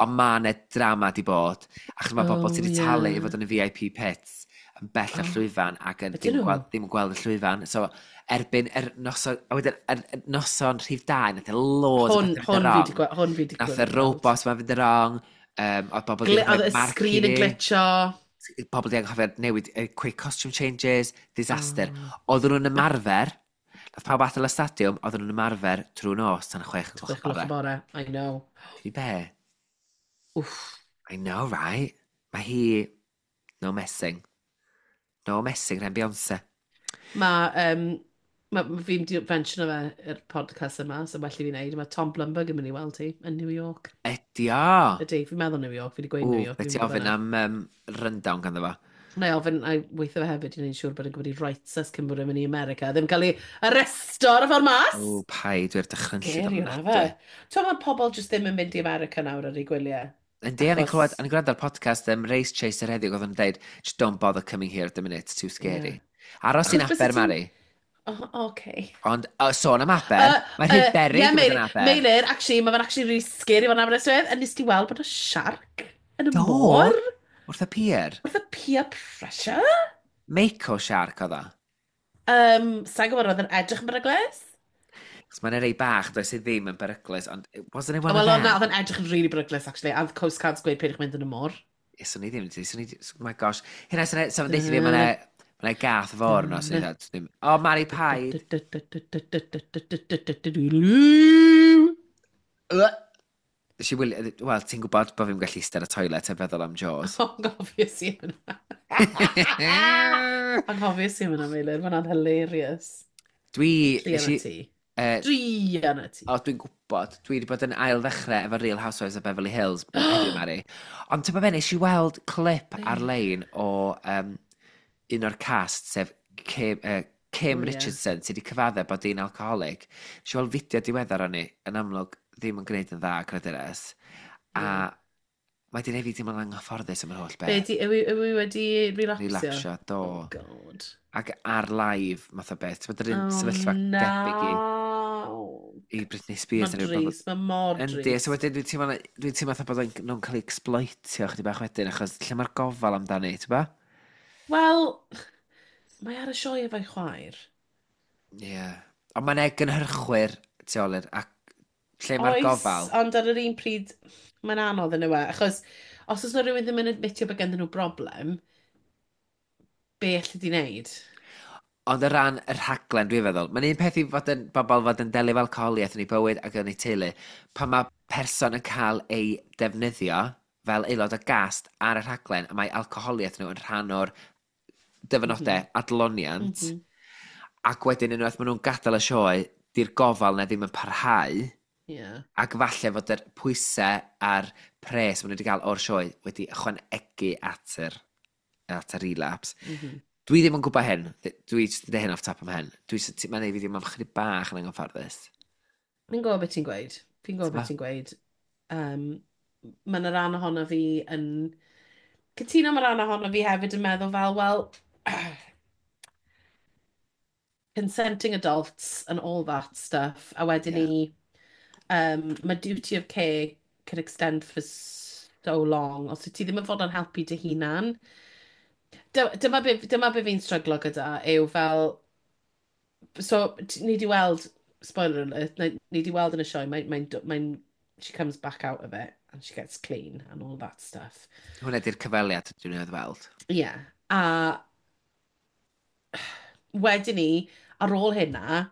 Ond mae yna drama di bod, achos mae bobl Oh, sydd wedi talu i ie. fod yn y VIP pits yn bell o'r Oh. llwyfan ac yn, Ydyn ddim, yn nhw? gweld, ddim yn gweld y llwyfan. So, erbyn yr noson, a wedyn, yr noson rhif 2, nath e loads o Hwn, bethau fynd hwn yn fi wrong. di gweld. Hwn fi di Nath y gweld. robot ma fynd yn wrong, oedd bobl wedi Oedd rhoi y marc i sgrin yn ni. glitcho. Pobl wedi anghofio newid quick costume changes, disaster. Oh. Oedden nhw'n ymarfer, nath pawb adael y stadiwm, oedden nhw'n ymarfer trwy nos tan 6 gloch 6 gloch y bore. bore. I know. Ti be? Wff. I know, right? Mae hi. No messing. No messing, rhan Beyoncé. Mae ma fi'n di mention o fe i'r podcast yma, so well i fi wneud. Mae Tom Blumberg yn mynd i weld hi yn New York. Ydi o! Ydy, fi'n meddwl New York, fi wedi gweud New Ww, York. be fi'n ti gwybod ofyn hwnna. am rundown ganddo fo? Na i ofyn, a weithio fe hefyd i wneud siŵr bod yn gwybod i rights us cyn bod yn mynd i America. Ddim cael ei arresto ar y ffordd mas! Ww, paid, dwi'n dychrynllyd Scary hwnna ofnadwy. fe. Ti'n meddwl mae pobl jyst ddim yn mynd i America nawr ar ei gwyliau? Yndi, o'n i'n clywed, Achos- o'n i'n gwrando ar podcast Race Chaser heddiw, oedd o'n dweud, "Just don't bother coming here at the minute, it's too scary." Ie. Aros i'n Achos byse Aber, ti'n- Mari. Oh, okay. Ond, sôn am Aber, mae rhy beryg Ie, i fod yn Meilir, Aber. Meilir, actually, mae fe'n actually really scary fan Aberystwyth. A nes ti weld bod y shark yn y Do. môr? Wrth y pier. Wrth y peer pressure? Mako shark oedd o. Sa'n gwybod, oedd yn edrych yn beryglus? Chos mae'n rei bach, does e ddim yn beryglus, ond wasn't it one Wel, of na, them? oedd yn edrych yn really beryglus, actually. A oedd Coast Guards gweud peidiwch mynd yn y môr. Ie, swn i ddim, swn i, oh my gosh. Hynna, swn i, swn i fi, mae'n ma gath fawr yno, swn i ddim. O, Mari Paid. Nes i wylio, wel, ti'n gwybod bod fi'n gallu eistedd ar y toilet a feddwl am Jaws. Anghofies i hwnna. Anghofies i hwnna, Meilir. Mae hwnna'n hilarious. Dwi... Druan ti. Druan ti. O, dwi'n gwybod. Dwi wedi bod yn ail ddechrau efo Real Housewives of Beverly Hills heddiw, Mari. Ond ti'n be, nes i weld clip ar-lein o un o'r cast, sef Kim, Kim Richardson, sydd wedi cyfadde bod hi'n alcoholic. Nes i weld fideo diweddar o'n i, yn amlwg ddim yn gwneud yn dda, creduras. A mae di neud fi teimlo'n anghyfforddus am yr holl beth. Be, di, yw, yw i wedi relapsio? Relapsio, do. Oh, God. Ac ar live, math o beth. Ti'n bod yr un sefyllfa debyg i Britney Spears. Mae'n drist, mae mor drist. Yndi, so wedyn dwi'n teimlo, dwi teimlo fatha bod nhw'n cael ei exploitio chydig bach wedyn, achos lle mae'r gofal amdani, ti'n ba? Wel, mae ar y sioe efo'i chwaer. Ie. Yeah. Ond mae'n e gynhyrchwyr tu ôl i'r, ac lle mae'r gofal. Ond ar yr un pryd, mae'n anodd yn yw e, achos os oes yna rhywun ddim yn admitio bod ganddyn nhw broblem, be allu di wneud? Ond o ran y rhaglen, dwi'n feddwl, mae'n un peth i fod yn, bobl fod yn delio efo alcoholiaeth yn eu bywyd ac yn eu teulu. Pan mae person yn cael ei defnyddio fel aelod o gast ar y rhaglen, a mae alcoholiaeth nhw yn rhan o'r dyfynodau adloniant, ac wedyn unwaith maen nhw'n gadael y sioe, di'r gofal na ddim yn parhau, ac falle fod yr pwysau a'r pres maen nhw wedi cael o'r sioe wedi ychwanegu at yr, at yr relapse. Dwi ddim yn gwybod hyn. Dwi jyst yn dweud hyn off top of my head. Dwi jyst, mae'n neud fi ddim am chydig bach yn anghyfforddus. Fi'n gwybod beth ti'n gweud. Fi'n gwybod beth ti'n gweud. Mae yna ran ohono fi yn... Cytuno, mae rhan ohono fi hefyd yn meddwl fel, wel, consenting adults and all that stuff. A wedyn ni, mae duty of care can extend for so long. Os wyt ti ddim yn fod yn helpu dy hunan. Dyma be fi'n stryglo gyda yw fel... So, ni di weld, spoiler alert, ni di weld yn y sioe, mae, she comes back out of it and she gets clean and all that stuff. Hwna di'r cyfweliad dwi'n ei weld. Ie. Yeah. A wedyn ni, ar ôl hynna,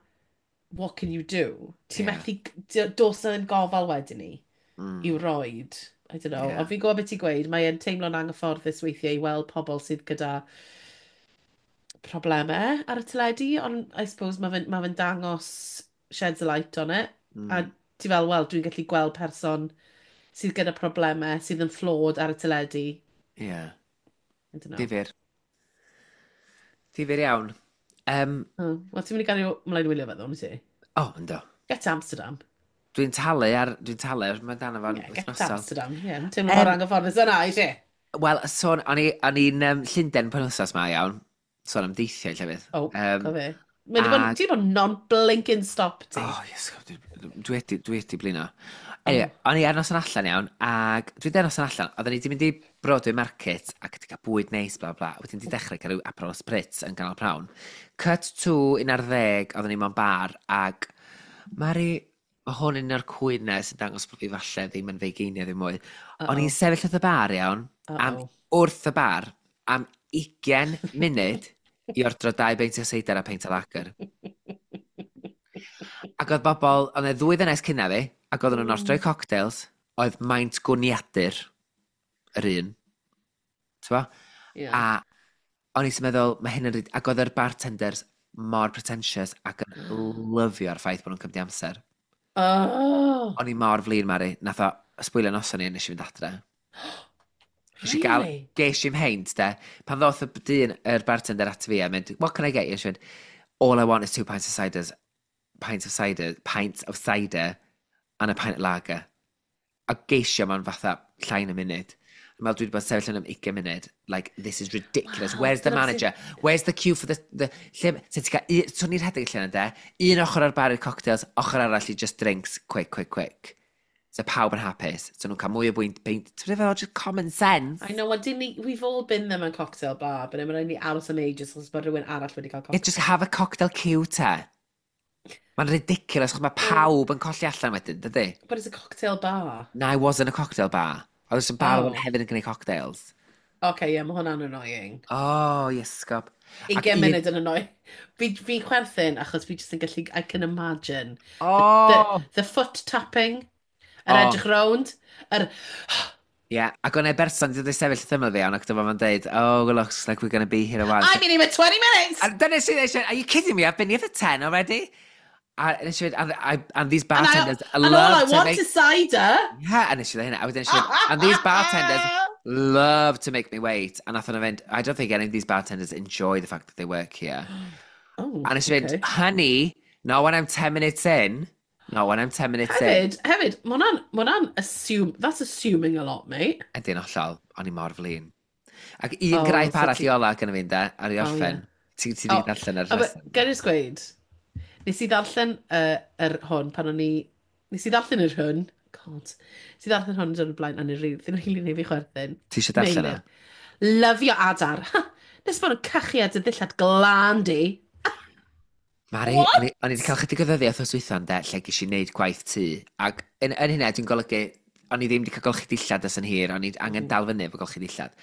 what can you do? Ti'n methu, does na ddim gofal wedyn ni i'w roid. I don't know. Ond fi'n gwybod beth ti'n gweud, mae'n teimlo'n anghyfforddus weithiau i weld pobl sydd gyda problemau ar y teledu, ond I suppose mae fe'n ma fe dangos sheds a light on it. A ti fel, wel, dwi'n gallu gweld person sydd gyda problemau, sydd yn flawed ar y teledu. Ie. Yeah. I don't know. Difyr. Difyr iawn. Oh, wel, ti'n mynd i gael ymlaen i wylio fe, ddo, wyt ti? O, oh, ynddo. Get to Amsterdam. Dwi'n talu ar, mae dan efo'n Yeah, get to wythnosol. Amsterdam. Yeah, mae'n teimlo mor anghyfforddus yna, i ti? Wel, sôn, o'n i'n Llundain penwythnos ma iawn. Sôn am deithiau llefydd. Oh, go fe. Mae wedi bod, ti wedi bod non-blinking stop ti. Oh, yes, dwi wedi blino. Anyway, o'n i ar noson allan iawn, ac dwi wedi ar noson allan, oedden ni wedi mynd i Broadway Market ac wedi cael bwyd neis, bla bla, wedyn wedi dechrau cael rhyw Aperol Spritz yn ganol prawn. Cut to 11, oedden ni mewn bar, ac Mari, mae hwn yn un o'r cwynau sy'n dangos bod fi falle ddim yn feigeiniau ddim mwy. O'n i'n sefyll wrth y bar iawn, am, wrth y bar, am 20 munud i ordro dau beint o seidr a peint o lager. Ac oedd bobl, oedd e ddwy ddynes cynna fi, ac oedden nhw'n ordro cocktails, oedd maint gwniadur yr un. T'bo? Yeah. A o'n i'n meddwl, mae hyn yn... Ac oedd yr bartenders mor pretentious ac yn lyfio'r ffaith bod nhw'n cymryd amser. Oh, O'n i mor flin, Mari. Nath o sbwylio noson ni a nes i fynd adre. Nes i gael, really? ges i'm heint, de. Pan ddoth y dyn, yr bartender at fi a mynd, "What can I get you?" She went, "All I want is two pints of ciders, pints of cider, pints of cider and a pint of lager." A geisio mewn fatha llai na munud. Dwi'n meddwl dwi wedi bod yn sefyll yn am 20 munud. Like, this is ridiculous. Wow, Where's the dyna manager? Where's the queue for the? Lle, so ti'n cael, so ni'n rhedeg lle yna, de? Un ochr ar bar i'r cocktails, ochr arall i just drinks, quick, quick, quick. So pawb yn hapus. So nhw'n cael mwy o bwynt, beint. Ti'n meddwl, just common sense. I know, well, dyn ni, we've all been there mewn cocktail bar, but mae'n rhaid ni aros am ages achos bod rhywun arall wedi cael Yeah, cocktail. just have a cocktail queue te. Mae'n ridiculous, achos mae pawb yn colli allan wedyn, dydy? But it's a cocktail bar. Na, it wasn't a cocktail bar. Oedd y bar oedd Oh. hefyd yn gwneud cocktails. Okay, yeah, mae hwnna'n annoying. Oh, iesgob. Ac 20 munud yn annoying. Fi chwerthin achos fi jyst yn gallu, I can imagine. Oh! The foot tapping, yr Oh. edrych rownd, yr. Ie, yeah, ac o'n e berson wedi dod i sefyll wrth ymyl fi, ond ac dyma fo'n deud, "Oh, it looks like we're going to be here a while." I've been here for 20 minutes! A dyna sydd eisiau, "Are you kidding me? I've been here for 10 already." A nes i fynd, and these And, I, bartenders and all love I to want make. is cider. Yeah, a nes i ddweud hynna. A wedyn nes i fynd, "And these bartenders love to make me wait." A nath nhw fynd, "I don't think any of these bartenders enjoy the fact that they work here." Oh, A nes i fynd, okay. "Honey, not when I'm 10 minutes in. Not when I'm 10 minutes in." Hefyd, ma hwnna'n assume, that's assuming a lot, mate. Ydy'n hollol, o'n i mor flin. Ac un Oh, graip so arall ti i ola gyda fi, ynde, ar i Oh, orffen. ie. Ti di Oh, darllen ar a rheswm. gael jyst gweud, nes i ddarllen yr hwn pan o'n i. Nes i ddarllen yr hwn, God, nes i ddarllen hwn yn dod o'r blaen, a nes i rili neud fi chwerthin. Ti eisiau darllen o? Meilir. Lyfio adar. Ha, nes bod nhw'n cachu ar dy ddillad glân di. Mari, What? o'n i wedi cael chydig o ddyddiau wrth dwytha, ynde, lle ges i wneud gwaith tŷ. Ac yn hynna, dwi'n golygu, o'n i ddim wedi cael golchi dillad ers yn hir, o'n i angen dal fyny efo golchi dillad.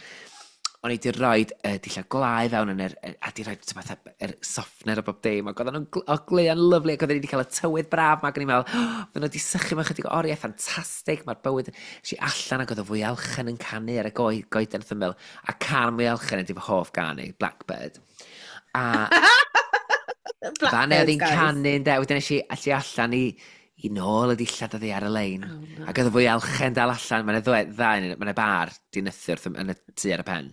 O'n i wedi rhoi dillad glau fewn yn yr, a di rhoi fatha, yr softener o bob dim, ac oedden nhw'n ogleuo'n lyfli, ac oedden ni wedi cael y tywydd braf ma, ac o'n i'n meddwl, oh, oedden nhw wedi sychu mewn chydig o oriau, ffantastig, mae'r bywyd. Es i allan ac oedd y fwyalchen yn canu ar y goeden wrth ymyl, a cân mwyalchen ydy fy hoff gân i, Blackbird. A fan oedd Blackbirds, hi'n guys. canu, ynde, wedyn es i allu allan i nôl y dillad oddi ar y lein. Oh, no. Ac oedd y fwyalchen dal allan, mae'n ddau, ddau, mae'n bar di nythu wrth yn y tŷ ar y pen.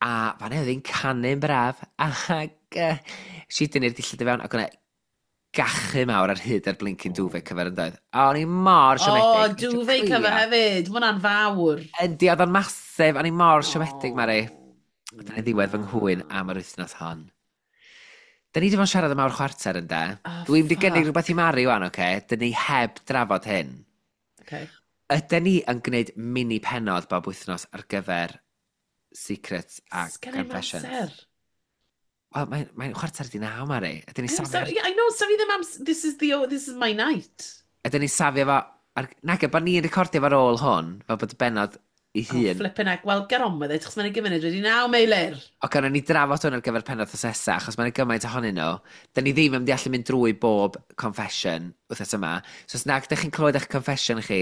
A fan oedd hi'n canu'n braf, ac si dynnu'r dillad i fewn, ac o'na gachu mawr ar hyd ar blinking duvet cover yn doedd. A o'n i mor Oh, siomedig. Nes i duvet crio. cover hefyd. Mae hwnna'n fawr. Yndi, oedd o'n masif, o'n i mor siomedig, Mari. Oh, Dyna ddiwedd fy nghwyn am yr wythnos hon. Da ni wedi bod yn siarad am awr chwarter, ynde? Oh, Dwi'n wedi gynnig fuck. rhywbeth i Mari wan, oce? Okay? Dyn ni heb drafod hyn. Okay. Ydyn ni yn gwneud mini penod bob wythnos ar gyfer secrets a Sgen i'm confessions? amser. Wel, mae'n 8:45, Mari. Ydyn ni I'm safio sorry, yeah, I know, so fi ddim This is, the, this is my night. Ydyn ni safio fo. Nag, bod ni'n recordio fo ar ôl hwn, fel bod y benod i Oh, hun. flipping heck. Well, get on with it, achos mae'n gymuned wedi naw, Meilir. O, gan ni drafod hwn ar gyfer penod wythnos nesa, achos mae'n gymaint ohonyn nhw. Da ni ddim yn mynd i allu mynd drwy bob confession wythnos yma. So os nag ydych chi'n clywed eich confession chi,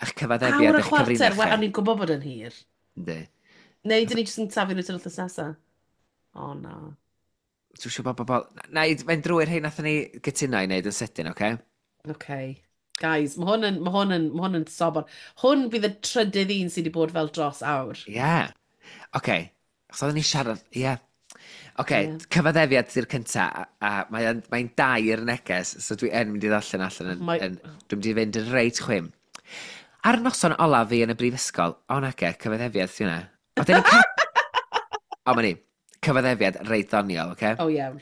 eich cyfaddefiad, Awr a eich chwarter, cyfrinach wel, chi. o'n i'n gwybod bod yn hir. Yndi. Neu, dyn ni jyst yn taflu nhw tan wythnos nesa. O, na. Dwi'n siŵr bod bobl. Na, i fynd drwy'r hyn nathon ni gytuno i wneud yn sydyn, oce? Okay. Guys, mae hwn yn sobor. Hwn bydd y trydydd un sydd wedi bod fel dros awr. Ie. Yeah. Oce. Achos oedden ni siarad. Ie. Yeah. Oce, Ie. Cyfaddefiad ydy'r cynta, a mae'n mae dair neges, so dwi yn mynd i ddarllen allan yn, dwi'n mynd i fynd yn reit chwim. Ar noson olaf fi yn y brifysgol, o nage, cyfaddefiad ydy hwnna. O, dyn ni. O, ma ni. Cyfaddefiad reit ddoniol, oce? O, iawn.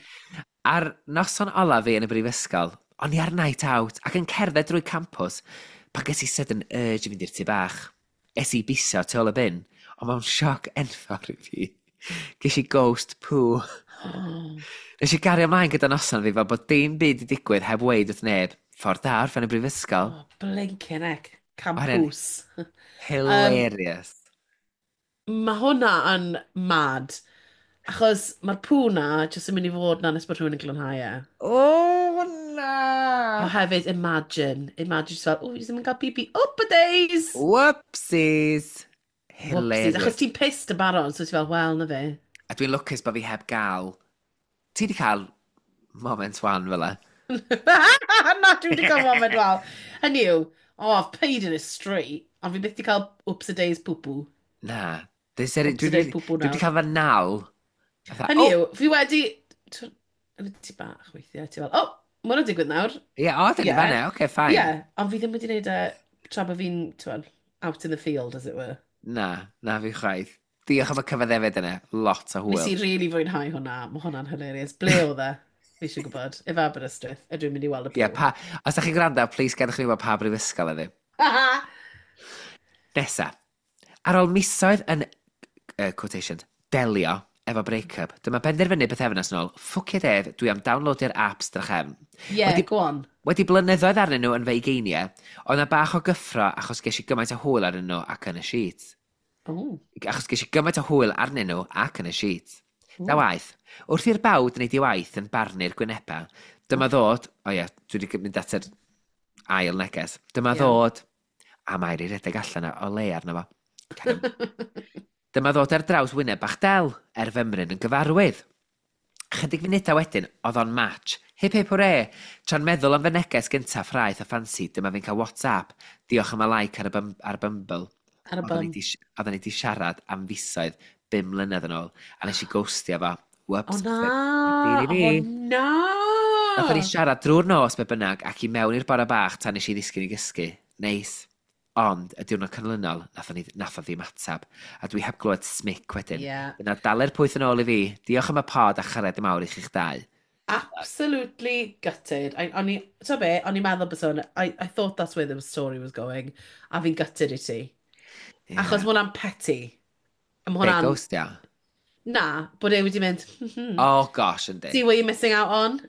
Ar noson olaf fi yn y brifysgol, o'n i ar night out ac yn cerdded drwy campws pan ges i sudden urge i fynd i'r tŷ bach. Es i biso tu ôl y bin, ond mewn sioc enfawr i fi. Ges i ghost poo. Oh. Nes i gario ymlaen gyda noson fi fel bod dim byd i digwydd heb weid wrth neb. Ffordd da orffen y brifysgol. Oh, blinking heck. Hwnna'n Campws. Hilarious. Mae hwnna yn mad. Achos mae'r poo na jyst yn mynd i fod na nes bod rhywun yn glanhau e. Oh, na! A hefyd, imagine. Imagine just fel, oh, fi ddim yn cael pipi. Up a days! Whoopsies! Whoopsies. Hilarious. Achos ti'n pissed yn barod, so ti'n fel, wel, na fe. A dwi'n lwcus bod fi heb gael. Ti di cael moment wan fel e. Na, dwi wedi cael moment wel. Hynny yw, oh, I've paid in a street, ond fi byth wedi cael oops a days poo-poo. Na. Dwi Oops a days poo-poo dwi wedi nawr. cael fy nal. Fatha, Hynny oh, yw, fi wedi. Yn y tŷ bach weithiau, ti fel, oh, mae hwnna'n digwydd nawr. Ie, o, dyn ni fanna, oce, fine. Ie, ond fi ddim wedi gwneud e tra bod fi'n, ti'n out in the field, as it were. Na, na fi chwaith. Diolch am y cyfaddefyd yna. Lot o Nes hwyl. i really fwynhau hwnna, mae hwnna'n hilarious. Ble oedd e? Fi eisiau gwybod. If Aberystwyth, ydw i'n mynd i weld y Ie, pŵ. pa, os da chi'n gwrando, please gadewch ni wybod pa brifysgol ydi. Nesa. Ar ôl misoedd yn, quotations, delio efo break-up, dyma benderfynu bythefnos yn ôl, ffwcio def, dwi am downloadio'r apps drachefn. Yeah, Wedi go on. Wedi blynyddoedd arnyn nhw yn fy ugeiniau, oedd 'na bach o gyffro achos ges i gymaint o hwyl arnyn nhw ac yn y sheet. Oh. Achos ges i gymaint o hwyl arnyn nhw ac yn y sheet. Ta waeth, wrth i'r bawd wneud ei waith yn barnu'r gwynebau, dyma ddod, o ie, dwi wedi mynd at yr ail neges, dyma ddod, a Mair i redeg allan o le arno fo. Carry on. Dyma ddod ar draws wyneb bach del, er fymryn yn gyfarwydd. Chydig funudau wedyn, oedd o'n match. Hip hip hwre! Tra'n meddwl am fy neges gyntaf ffraeth a ffansi, dyma fi'n cael WhatsApp. Diolch am y like ar y Bumble. Ar y Oedden ni bum. 'di Oedden ni 'di siarad am fisoedd 5 mlynedd yn ôl, a nes i ghostio fo. O Whoops. na! Dili O fi. na! Nathon ni siarad drwy'r nos be bynnag ac i mewn i'r bore bach tan nes i ddisgyn i gysgu. Neis. Ond, y diwrnod canlynol, nath o ddim atab. A dwi heb glywed smic wedyn. Dyna dalu'r pwyth yn ôl i fi. Diolch am y pod a chariad mawr i chi'ch dau. Absolutely gutted. O'n i, ti'n be, o'n i'n meddwl bod hwn, I thought that's where the story was going, a fi'n gutted i ti. Achos mae hwnna'n petty. A ma' Be, hwnna'n ghostio? Na, bod e wedi mynd, Oh gosh, yndi. See what you're missing out on?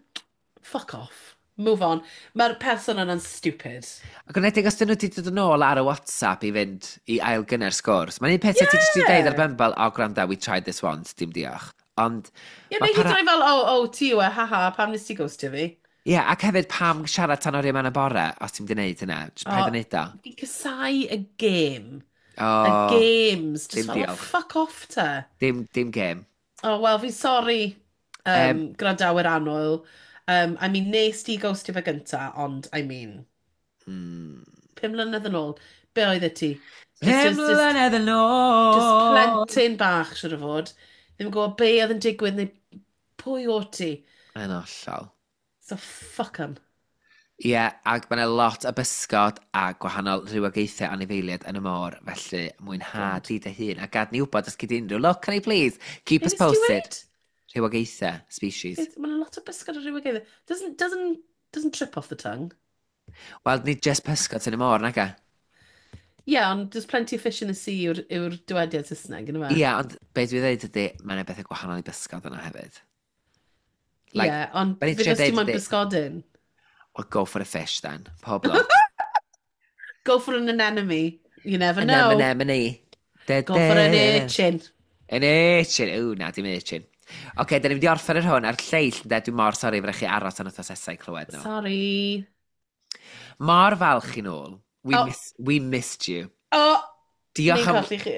Fuck off. Move on. Mae'r person yna'n stupid. Ac yn edrych os dyn nhw wedi dod yn ôl ar y WhatsApp i fynd i ail gynnu'r sgwrs. Mae'n un peth yeah. Ti jyst i deud ar Bumble, "Oh, gwranda, we tried this once, dim diolch." Ond, Ie, ma' neu hyd para yn oed fel, oh, ti yw e, haha, pam nes ti ghostio fi?" Ie, yeah, ac hefyd pam siarad tan oriau mewn y bore, os ti'n mynd i wneud hynna? Just paid O, â wneud o. Fi'n casáu y game. Y O, games. Just dim fel, oh, diolch. fuck off te. Dim game. Oh, well, fi'n sorry, gwrandawyr annwyl. I mean, nes ti ghostio fe gynta, ond, I mean, 5 mlynedd yn ôl, be oedd e ti? Just, 5 just, just, mlynedd yn just ôl! plentyn bach, siwr o fod. Ddim yn gwybod be oedd yn digwydd neu pwy o ti. Yn hollol. So, fuck 'em. Ie, yeah, ac mae yna lot o bysgod a gwahanol rhywogaethau anifeiliaid yn y môr, felly mwynha God. di dy hun. A gad ni wybod os gyd unrhyw look, can I please? Keep Be us nes ti posted. weud? Rhywogaethau, species. Mae'n lot o bysgod o rhywogaethau. Doesn't trip off the tongue. Wel, nid just pysgod sy'n y môr, naga? Yeah, ond there's plenty of fish in the sea yw'r dywediad Saesneg, yna fe? Ie, yeah, ond be dwi dweud ydy, mae yna bethau gwahanol i bysgod yna hefyd. Like, Yeah, ond be ni'n fe trio os ti deud moyn ydi- bysgodyn. Well, go for a fish then. Pob lwc. Go for an anemone. You never know. Anemone. Da, Go for an da. urchin. An urchin. Ww, na, dim urchin. Oce, okay, da ni'n mynd i orffen yr hwn a'r lleill, ynde, dwi mor sori fydda chi aros an wythnos nesaf i clywed nhw. Sorry. Mor falch i nôl. We, Oh. we missed you. Oh, Diolch ni'n am, colli chi.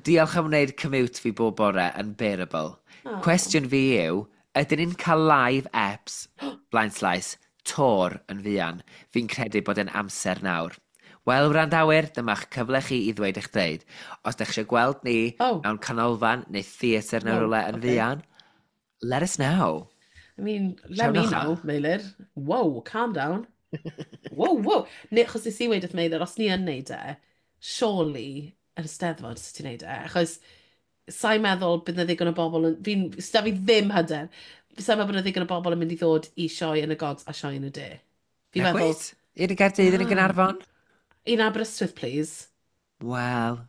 diolch am wneud commute fi bob bore yn bearable. Oh. Cwestiwn fi yw, ydyn ni'n cael live eps, Blind Slice, tour yn fuan? Fi'n credu bod e'n amser nawr. Wel, wrandawyr, dyma'ch cyfle chi i ddweud eich dweud. Os ydych eisiau gweld ni mewn canolfan neu theatr neu Wow, rhywle yn fuan, let us know. I mean, let me Siawnwch know, a. Meilir. Whoa, calm down. Whoa. Ne, achos nes i weud wrth Meilir, os ni yn neud e, surely yn y Steddfod sut ti'n neud e. Achos sa'n meddwl bydd 'na ddigon o bobl yn... Fi'n... Sda fi ddim hyder. Sa'n meddwl bod 'na ddigon o bobl yn mynd i ddod i sioe yn y Gogs a sioe yn y De. Fi'n Na meddwl, gweud? Un yn Gaerdydd, un yn na. Gaernarfon? Un Aberystwyth, please. Wel,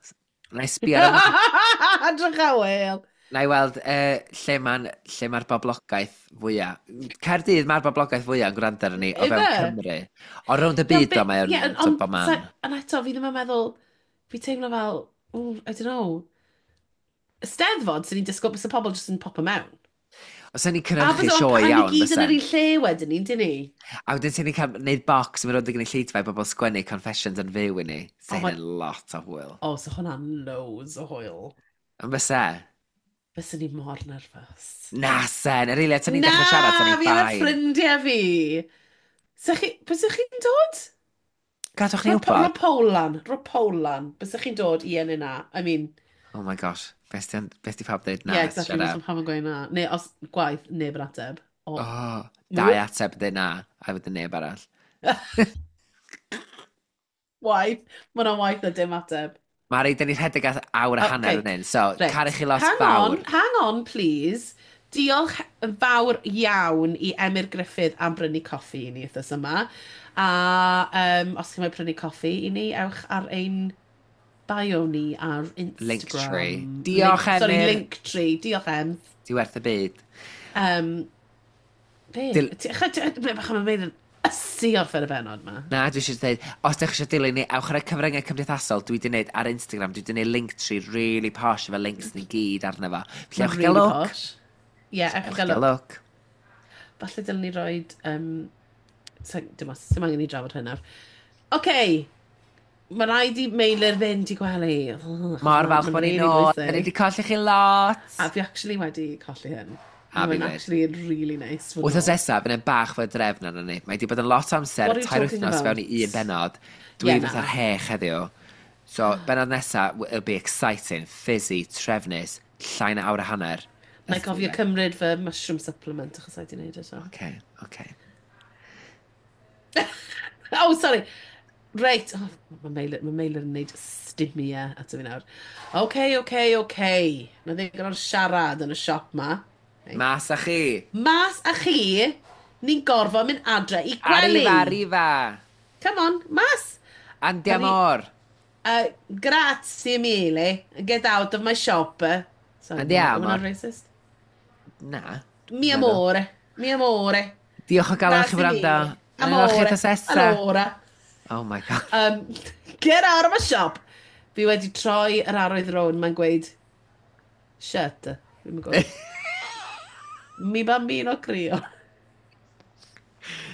na i sbio ar y Drych a wel. Na i weld lle mae'r boblogaeth fwyaf. Caerdydd mae'r boblogaeth fwyaf yn gwrando arno ni o fewn Ife? Cymru. O rownd y Ie, byd o, mae o'n ie, bob ond man. ond eto, fi ddim yn meddwl, fi teimlo fel, ooh, I don't know. Steddfod, sy'n ni'n disgwyl bys y pobl jyst yn popo mewn. Os ni'n A cynhyrchu bys o'n sioe a ni iawn, gyd yn yr bysen. un lle wedyn ni'n dyn ni? A wedyn ti'n cael gwneud box yn mynd rownd y gynulleidfa i bobl sgwennu confessions yn fyw i ni. So Oh my hyn yn lot o hwyl. Oh, so hwnna'n loads o hwyl. Yn byse? Byswn ni mor nervous. Na sen, yr eiliad ti'n ni'n Na, dechrau siarad, ti'n fi ni'n efo fine. ffrindiau fi. So chi, byswch chi'n dod? Gadwch ni Ro wybod. poll lan, ro poll lan. Byswch chi'n dod i yn yna? I mean, Oh my gosh, beth di pawb dweud na, yeah, exactly, shut os up. mae pawb yn gweud na. Neu os gwaith, neb yn ateb. O, Oh, dau ateb dweud na, a wedyn neb arall. Waith, mae hwnna'n waith na dim ateb. Mari, dyn ni'n rhedeg at awr a hanner Okay, yn hyn, so reit. caru chi lot Hang fawr. on, hang on, please. Diolch yn fawr iawn i Emyr Griffith am brynu coffi i ni wythnos yma. A os chi'n moyn prynu coffi i ni, ewch ar ein bio ni ar Linktree. Instagram. Diolch, Link, sorry, Emyr. Linktree. Diolch, Em. Di werth y byd. Be? Dil Bach am y ysu orffen y benod ma. Na, dwi eisiau dweud, os ydych chi eisiau dilyn ni, ewch ar y cyfryngau cymdeithasol, dwi wedi gwneud ar Instagram, dwi wedi gwneud link tree really posh efo links ni gyd arno fo. Felly ewch gael look. Ie, yeah, ewch gael look. Falle dylen ni roed... Dim os, dim angen i drafod hynna. Oce, okay. Mae rhaid i Meilir fynd i gwely. Mor falch bod ni'n ôl. Da ni wedi colli chi lot. A fi actually wedi colli hyn. A fi actually really nice. Wythnos nesaf, fydd e'n bach fwy drefn arno ni. Mae wedi bod yn lot o amser, 3 wythnos fewn i un benod. Dwi yeah, fatha'r hech heddiw. So, benod nesaf, it'll be exciting, fizzy, trefnus, llai na awr a hanner. Na i gofio cymryd fy mushroom supplement achos i di wneud eto. Okay. Oh, sorry. Reit. Oh, mae Meilir, ma Meilir yn neud stumia ato fi nawr. OK. Na ddigon o'r siarad yn y siop ma. Reit. Mas â chi. Mas â chi, ni'n gorfod mynd adre i gwely. Arriva, arriva. Come on, mas. Andiamo. Grazie mille. Get out of my shop. Sorry, Andiamo. Hwnna'n racist? Na. Mi amore. Mi amore. Diolch o galon chi wrando. Amore. Allora. Oh my God. Get out of my shop. Fi wedi troi yr arwydd rown, mae'n gweud, "Shut." Fi'n gweud, "Mi bambino crio.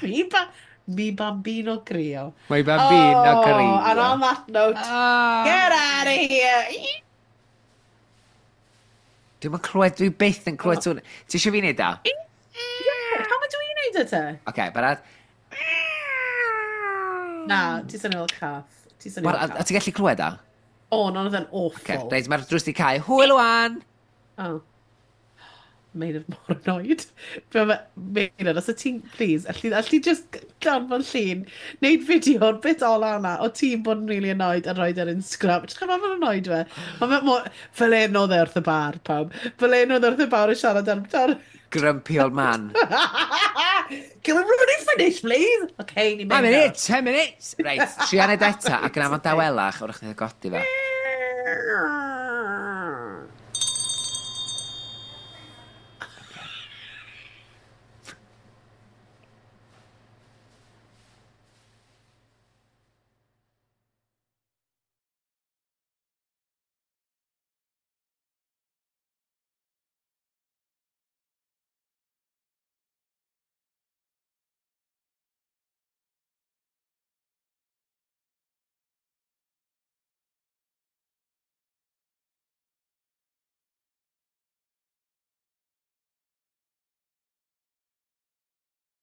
Mi bambino crio." Mi bambino oh, crio. And on that note, get out of here. Dwi'n clywed, dwi byth yn clywed sŵn. Ti eisiau fi wneud da? Yeah, pam ydw i'n neud e te? Oce, okay, barad. Na, ti swnio fel cath. Ti swnio fel cath. A ti'n gallu clywed da? O, no, oedd e'n awful. Okay, reit, mae'r drws di cau. Hwyl wan! Oh. Meilir mor annoyed. Meilir, os y ti'n, please, alli just danfon llun, neud fideo o'r bit ola yna, o ti'n bod yn really annoyed a rhoi ar Instagram. Just chymryd mae'n annoyed fe. Mae fe mor. Fel un oedd e wrth y bar, pawb. Fel un oedd e wrth y bar yn siarad am. Grumpy old man. Can we really finish, please? Okay, ni'n mynd. 10 minutes, 10 minutes. Reit, tria neud eto, ac yn afon dawelach, wrach ni'n godi fe.